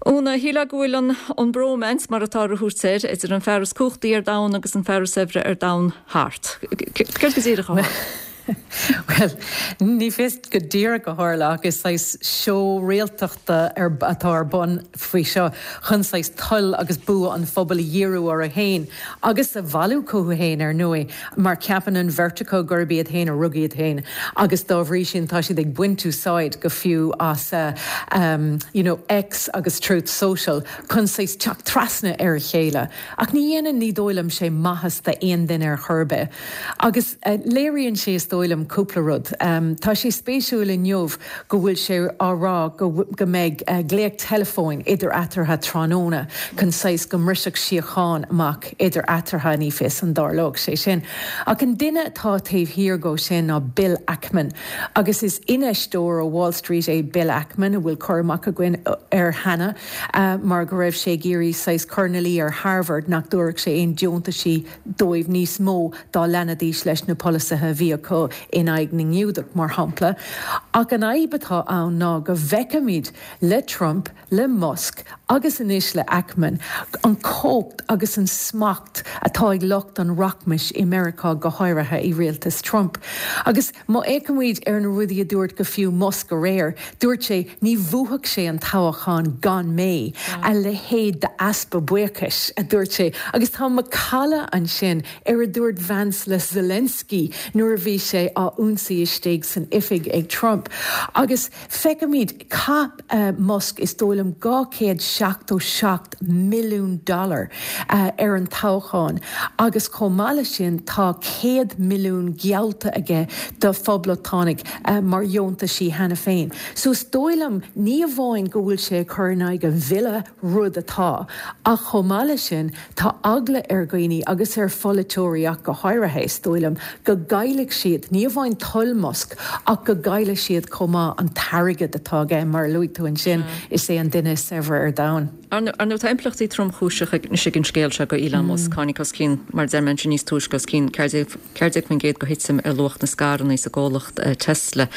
Speaker 1: Úna, shílfeá go bhfuil an an bromance, mar atáthar a thabhairt air, idir an fear is cumhachtaí ar domhan agus an fear is saibhre ar domhan thart. Céard go díreach a tharla?
Speaker 16: Bhuel, ní fios go díreach a tharla ach is saghas seó réaltachta atá ar bun faoi seo chun saghas toil agus bua an phobail a dhíriú orthu féin agus a bhailiú chucu féin, ar ndóigh, mar ceapann an bheirt acu gurb iad féin a rug iad féin agus dá bhrí sin tá siad ag baint úsáid go fiú as you know X agus Truth Social chun saghas teacht trasna ar a chéile. Ach ní dhéanann, ní dóigh liom, sé maitheas d'aon duine ar chor ar bith. Agus léiríonn sé, is dóigh liom, cúpla rud. Tá sé spéisiúil inniu go bhfuil sé á rá go go mbeidh glaoch teileafóin idir eatarthu tráthnóna chun saghas go mbrisfeadh síocháin amach idir eatarthu, ní fios an dtarlódh sé sin. Ach an duine atá taobh thiar dhó sin ná Bill Ackman. Agus is infheisteoir ó Wall Street é Bill Ackman a bhfuil cur amach againn air cheana mar go raibh sé ag iarraidh saghas cur ina luí ar Harvard nach dtabharfadh sé aon deontaisí dóibh níos mó dá leanfaidís leis na polasaithe a bhí acu. acu in aghaidh na nGiúdach, mar shampla. Ach an fhadhb atá ann ná go bhfeicimid le Trump, le Musk agus anois le Ackman, an chumhacht agus an smacht atá ag lucht an rachmais i Meiriceá, go háirithe i rialtas Trump. Agus má fhéachaimid ar na rudaí a dúirt go fiú Musk aréir, dúirt sé ní bhuafadh sé an toghachán gan mé, a leithéid d'easpa buíochais, a dúirt sé. Agus tá macalla ansin ar a dúirt Vance le Zelensky nuair a bhí sé á ionsaí istigh san oifig ag Trump. Agus feicimid, chaith Musk, is dóigh liom, 277 milliún dollar ar an toghchán agus chomh maith leis sin tá 100 milliún geallta aige do phoblachtánaigh mar dheontaisí cheana féin. So is dóigh liom, ní amháin go bhfuil sé ag cur in aghaidh an bhille, rud atá, ach chomh maith leis sin, tá eagla ar dhaoine, agus ar pholaiteoirí ach go háirithe, is dóigh liom, go gcaillfidh siad, ní amháin toil Musk, ach go gcaillfidh siad chomh maith an t-airgead atá aige, mar a luaigh tú ansin, is é an duine is saibhre ar domhan.
Speaker 1: Ar ndóigh, tá impleachtaí tromchúiseacha anois ag an scéal seo do Elon Musk. Tháinig os cionn, mar a deir mé ansin níos túisce, os cionn 14% de thitim ar luach na scaireanna sa gcomhlacht Tesla.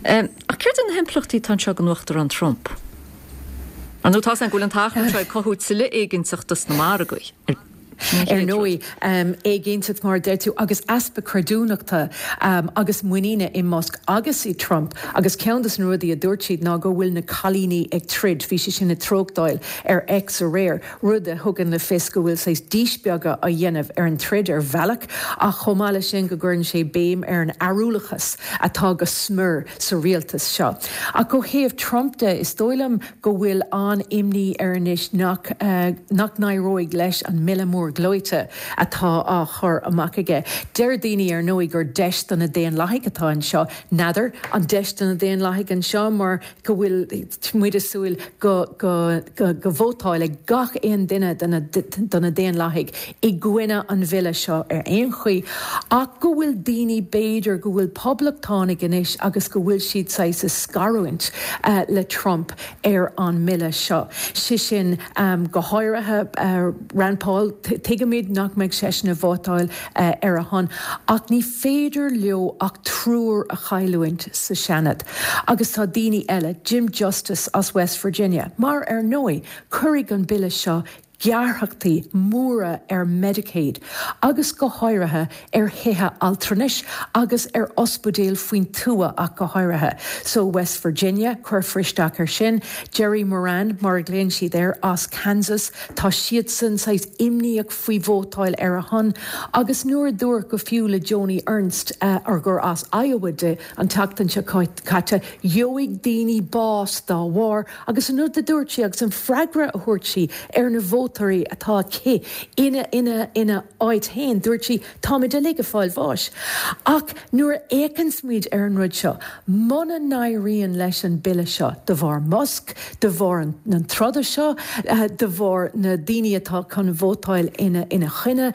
Speaker 1: Ach céard iad na himpleachtaí atá anseo don Uachtarán Trump? Ar ndóigh, tá's againn go bhfuil an t-achrann seo ag cothú tuilleadh éiginnteachta sna margaí.
Speaker 16: Ar ndóigh, éiginnteacht, mar a deir tú, agus easpa creidiúnachta agus muiníne i Musk agus i Trump. Agus ceann de na rudaí a dúirt siad ná go bhfuil na cailíní ag troid, bhí sé sin ag tráchtáil ar X aréir, rud a thugann le fios go bhfuil saghas díspeagadh á dhéanamh ar an troid ar bhealach, ach chomh maith leis sin go gcuireann sé béim ar an fhearúlachas atá go smior sa rialtas seo. Ach ó thaobh Trump de, is dóigh liom go bhfuil an-imní air anois nach nach n-éireoidh leis an mbille mór gleoite atá á chur amach aige. Deir daoine ar ndóigh gur deis do na Daonlathaigh atá anseo. N'fheadar an deis do na Daonlathaigh anseo mar go bhfuil muid ag súil go go go vótálfaidh gach aon duine de na de na Daonlathaigh i gcoinne an bhille seo ar aon chaoi ach go bhfuil daoine b'fhéidir go bhfuil poblachtánaigh anois agus go bhfuil siad saghas ag scarúint le Trump ar an mbille seo. Sé sin go háirithe Rand Paul, tuigimid nach mbeidh seisean ag vótáil ar a shon ach ní féidir leo ach triúr a chailliúint sa Seanad agus tá daoine eile, Jim Justice as West Virginia, mar ar ndóigh cuirfidh an bille seo gearrthachtaí móra ar Medicaid agus go háirithe ar thithe altranais agus ar ospidéil faoin tuath ach go háirithe. So West Virginia, cuirfear isteach air sin. Jerry Moran, mar a ghlaonn siad air, as Kansas, tá siadsan saghas imníoch faoi vótáil ar a shon. Agus nuair a dúradh go fiú le Joni Ernst, ar gur as Iowa di, an tseachtain seo caite, gheobhaidh daoine bás dá bharr, Agus an rud a dúirt sí agus an freagra a thabhairt sí ar na vótóirí atá aici ina, ina, ina áit féin, dúirt sí, táimid uilig ag fáil bháis. Ach nuair a fhéachanns muid ar an rud seo, muna n-éiríonn leis an bille seo, de bharr Musk, de bharr an, an troda seo, de bharr na daoine atá chun vótáil ina, ina choinne,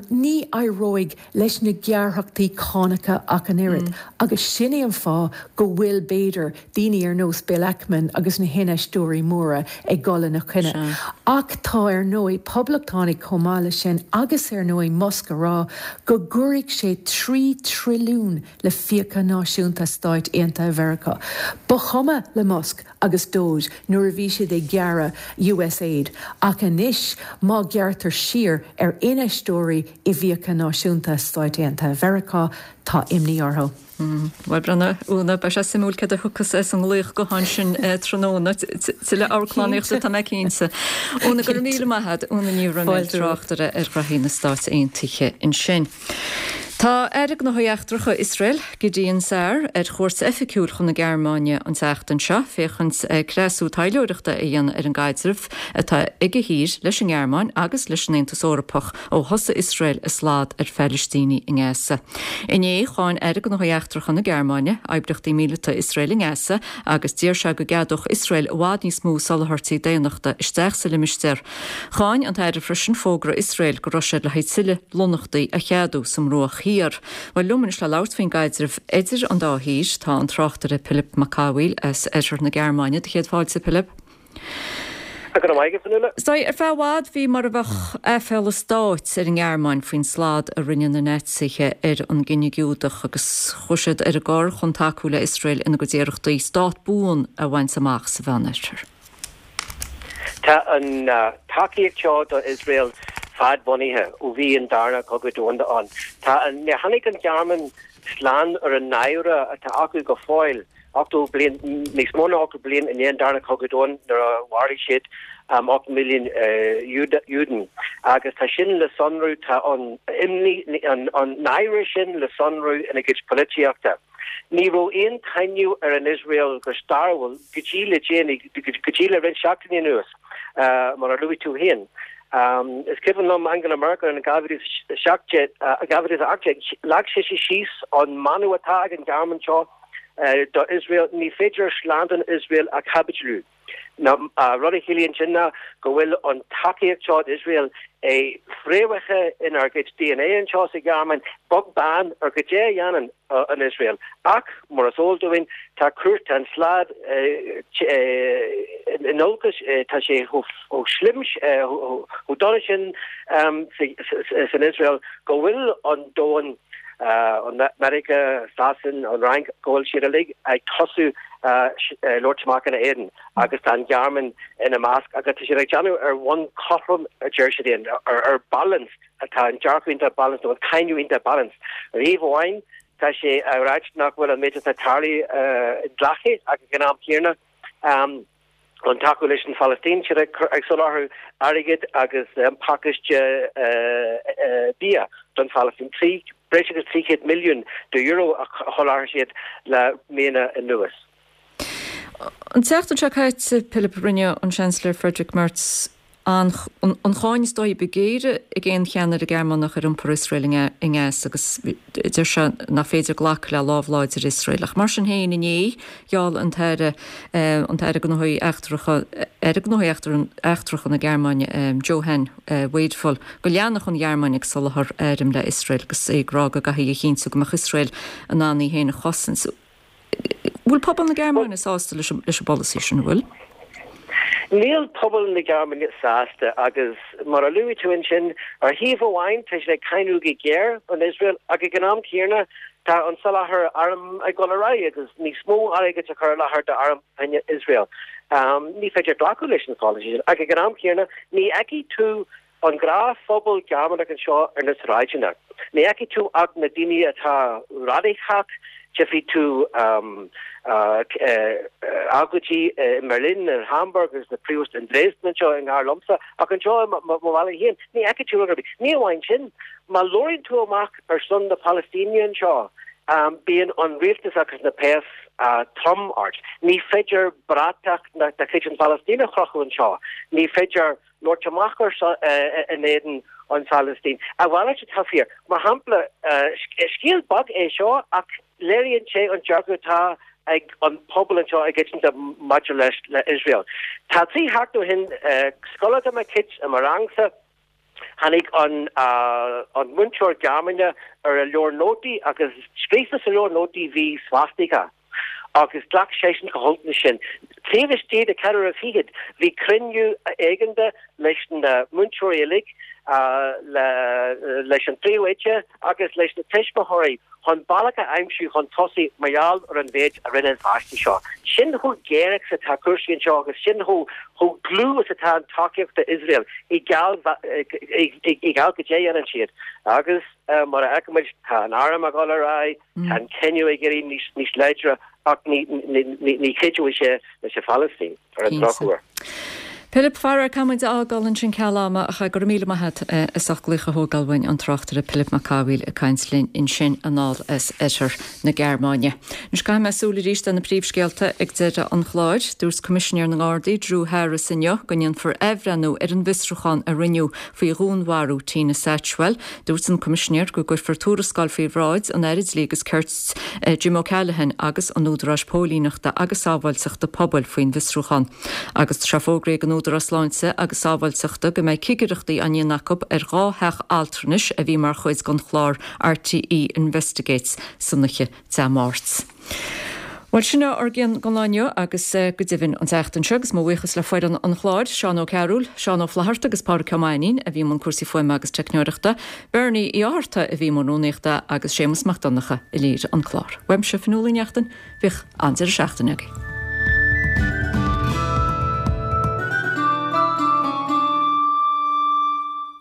Speaker 16: ní éireoidh leis na gearrthachtaí cánacha ach an oiread. Agus sin é an fáth go bhfuil, b'fhéidir, daoine ar nós Bill Ackman agus na hinfheisteoirí móra ag dul ina choinne. Ach tá, ar ndóigh, poblachtánaigh chomh maith leis sin agus, ar ndóigh, Musk a rá go gcuirfidh sé 3 trilliún le fiacha náisiúnta Stáit Aontaithe Mheiriceá. Ba chuma le Musk agus Doge nuair a bhí siad ag gearradh USAID ach anois má ghearrtar siar ar infheisteoirí i bhfiacha náisiúnta Stáit Aontaithe Mheiriceá, tá imní orthu.
Speaker 1: Bhuel, breathnaigh, Úna, beidh sé suimiúil céard a thiocfas as an nglaoch gutháin sin tráthnóna. Tuilleadh amharclannaíochta, tá mé cinnte. Úna, go raibh míle maith agat. Úna Ní Raghnaill, tráchtaire ar ghraithí na Stát Aontaithe ansin. Tá Aire Gnóthaí Eachtracha Iosrael, Gideon Sa'ar, ar chuairt oifigiúil chun na Gearmáine an tseachtain seo féachaint cneasú taidhleoireachta a dhéanamh ar an gcaidreamh atá ag a thír leis an nGearmáin agus leis an Aontas Eorpach ó thosaigh Iosrael a slad ar Phalaistínigh i nGaza. Inné, cháin Aire Gnóthaí Eachtracha na Gearmáine oibríochtaí míleata Iosrael i nGaza agus d'iarr sé go gceadódh Iosrael i bhfad níos mó soláthairtí daonnachta isteach sa limistéar. Cháin an tAire freisin fógra Iosrael go raibh siad le haghaidh tuilleadh lonnaíochtaí a cheadú sa mBruach Thiar. Bhuel, liom anois le labhairt faoin gcaidreamh idir an dá thír, tá an tráchtaire Pilip Mac Cathmhaoil as oirthear na Gearmáine. Do chéad fáilte, Pilip.
Speaker 17: Go raibh maith agat, Fionnuala.
Speaker 1: Is dóigh, ar feadh i bhfad bhí mar a bheadh aiféala stáit ar an nGearmáin faoin slad a rinne na Naitsithe ar an gcine Giúdach agus chuaigh siad ar an gcor chun tacú le Iosrael ina gcuid iarrachtaí stát buan a bhaint amach sa Mheánoirthear.
Speaker 17: Tá an tacaíocht seo do Iosrael fadbhunaithe ó bhí an Darna Cogadh Domhanda ann. Tá an, níor tháinig an Ghearmáin slán ar an náire atá acu go fóill. 80 bliain, níos mó ná 80 bliain i ndiaidh an Dara Cogadh Domhanda nuair a mharaigh siad 8 milliún Juden. Agus tá sin le sonrú, tá an imní, an náire sin le sonrú ina gcuid polaitíochta. Ní raibh aon cháineadh ar an Iosrael go stairiúil go dtí le déanaí, go dtí le roinnt seachtainí anuas, mar a luaigh tú féin. Is cuimhin liom Angela Merkel in 2017, 2018, leag sise síos an mana atá ag an Ghearmáin seo, do Iosrael, ní féidir slándáil Iosrael a chaibidliú. Rud a chiallaíonn sin ná go bhfuil an tacaíocht seo d'Iosrael fréamhaithe inár gcuid dna anseo sa Ghearmáin, beag beann ar goidé a dhéanann an Iosrael. Ach, mar is eol dúinn, tá cúrsaí, tá an slad in olcas, tá sé chomh slim, chomh dona sin san Iosrael go bhfuil an domhan, an Meiriceá, Sasain, an Fhrainc, go bhfuil siad uilig ag tosú labhairt amach ina éadan agus tá an Ghearmáin ina measc agus tá siad ag déanamh ar bhonn cothrom a deir siad féin, ar balanced atá an dearcadh iontach balanced nó an cáineadh iontach balanced. Ar thaobh amháin tá sé á ráit nach bhfuil an méid atá tarlaithe inghlactha ach ag an am céanna an tacú leis an Phalaistín, siad ag soláthar airgid agus pacáiste bia don Phalaistín, breis agus 300 milliún de euro a sholáthair siad le míonna anuas.
Speaker 1: An tseachtain seo caite, Pilib, rinne an Seansailéir Friedrich Merz an cháin is dóichí ba ghéire ag aon cheannaire Gearmánach ar iompar Iosrael i nGaza agus deir sé nach féidir glacadh le lámh láidir Iosrael. Ach mar sin féin, inné, gheall an tAire an tAire Gnóthaí Eachtracha, Aire Gnóthaí Eachtracha na Gearmáine, Johann Wadephul, go leanfadh an Ghearmáin ag soláthar airm le Iosrael agus é ag rá go gcaithfí a chinntiú go mbeadh Iosrael in ann í féin a chosaint. Bhfuil pobal na Gearmáine sásta leis an bpolasaí sin, an bhfuil?
Speaker 17: Níl pobal na Gearmáine sásta agus mar a luaigh tú ansin, ar thaobh amháin tá siad ag cáineadh go géar an Iosrael ach ag an am céanna tá an soláthar arm ag dul ar aghaidh agus níos mó airgid á chur i láthair d'arm fá choinne Iosrael. Ní féidir glacadh leis an pholasaí sin ach ag an am céanna ní fheicfidh tú An gnáthphobal Gearmánach anseo ar na sráideanna, ní fheicfidh tú ach na daoine atá radacach, tchífidh tú agóidí i mBerlin, in Hamburg agus na príomh in Dresden anseo i ngar liomsa, ach anseo i mo bhaile féin, ní fheicfidh tú rud ar bith. Ní amháin sin, má labhraíonn tú amach ar son na Palaistíne anseo, bíonn an rialtas agus na péas trom ort. Ní féidir bratach de chuid an Phalaistín a chrochadh anseo. Ní féidir. labhairt amach ar son in éadan an Phalaistín. A mhalairt atá fíor. Mar shampla, scéal beag é seo ach léiríonn sé an dearcadh atá ag an pobal anseo i gcoitinne maidir leis le Iosrael. Tá 3 sheachtain ó shin, scoláire de mo chuid i mo rangsa, tháinig an an múinteoir Gearmáine ar a leabhar nótaí agus scríofa sa leabhar nótaí bhí svastika. agus ghlac seisean go holc leis sin. Taobh istigh de cheathrú uaire fichead, bhí cruinniú éigeandála leis na múinteoirí uilig, leis an phríomhoide agus leis na tuismitheoirí chun bealach a aimsiú chun tosaigh mar gheall ar an mhéid a rinne an pháiste seo. Sin chomh géar is atá cúrsaí anseo agus sin chomh dlúth is atá an tacaíocht d'Iosrael i ngeall goidé a dhéanann siad. Agus mar a fheicimid, tá an arm ag dul ar aghaidh, Tá an cáineadh ag éirí níos láidre ach ní chuideoidh sé leis an Phalaistín, ar an drochuair.
Speaker 1: Pilib, faraor, caithfidh muid a fhágáil ansin ceal ama ach go raibh míle maith agat as ucht glaoch a thógáil uainn an tráchtaire Pilib Mac Cathmhaoil ag caint linn ansin anall as oirthear na Gearmáine. Anois caithfidh mé súil arís ar na príomhscéalta ag deireadh an chláir. Dúirt Coimisinéir na nGardaí Drew Harris inniu go ndéanfar athbhreithniú ar an bhfiosrúchán a rinneadh faoi dhúnmharú Tina Satchwell. Dúirt an Coimisinéir go gcuirfear tuarascáil faoi bhráid an Aire Dlí agus Cirt, Jim O'Callaghan agus an Údaráis Póilíneachta agus Sábháilteachta Pobail faoin bhfiosrúchán. Agus tá sé fógraithe ag an Údarás Sláinte agus Sábháilteachta go mbeidh cigireachtaí á ndéanamh acu ar 2 theach altranais a bhí mar chuid den chlár RTÉ Investigates san oíche Dé Máirt. Bhuel, sin ár gcion don lá inniu agus go deimhin an tseachtain seo agus mo bhuíochas le foireann an chláir, Seán Ó Cearúil, Seán Ó Flatharta agus Pádraic Ó Mainnín a bhí i mbun cúrsaí fuaime agus teicneoireachta, Bernie Uí Fhátharta a bhí i mbun rúnaíochta agus Séamus Mac Donncha a léirigh an clár. Uaimse, Fionnuala Uí Neachtain, bíodh an-deireadh seachtaine agaibh.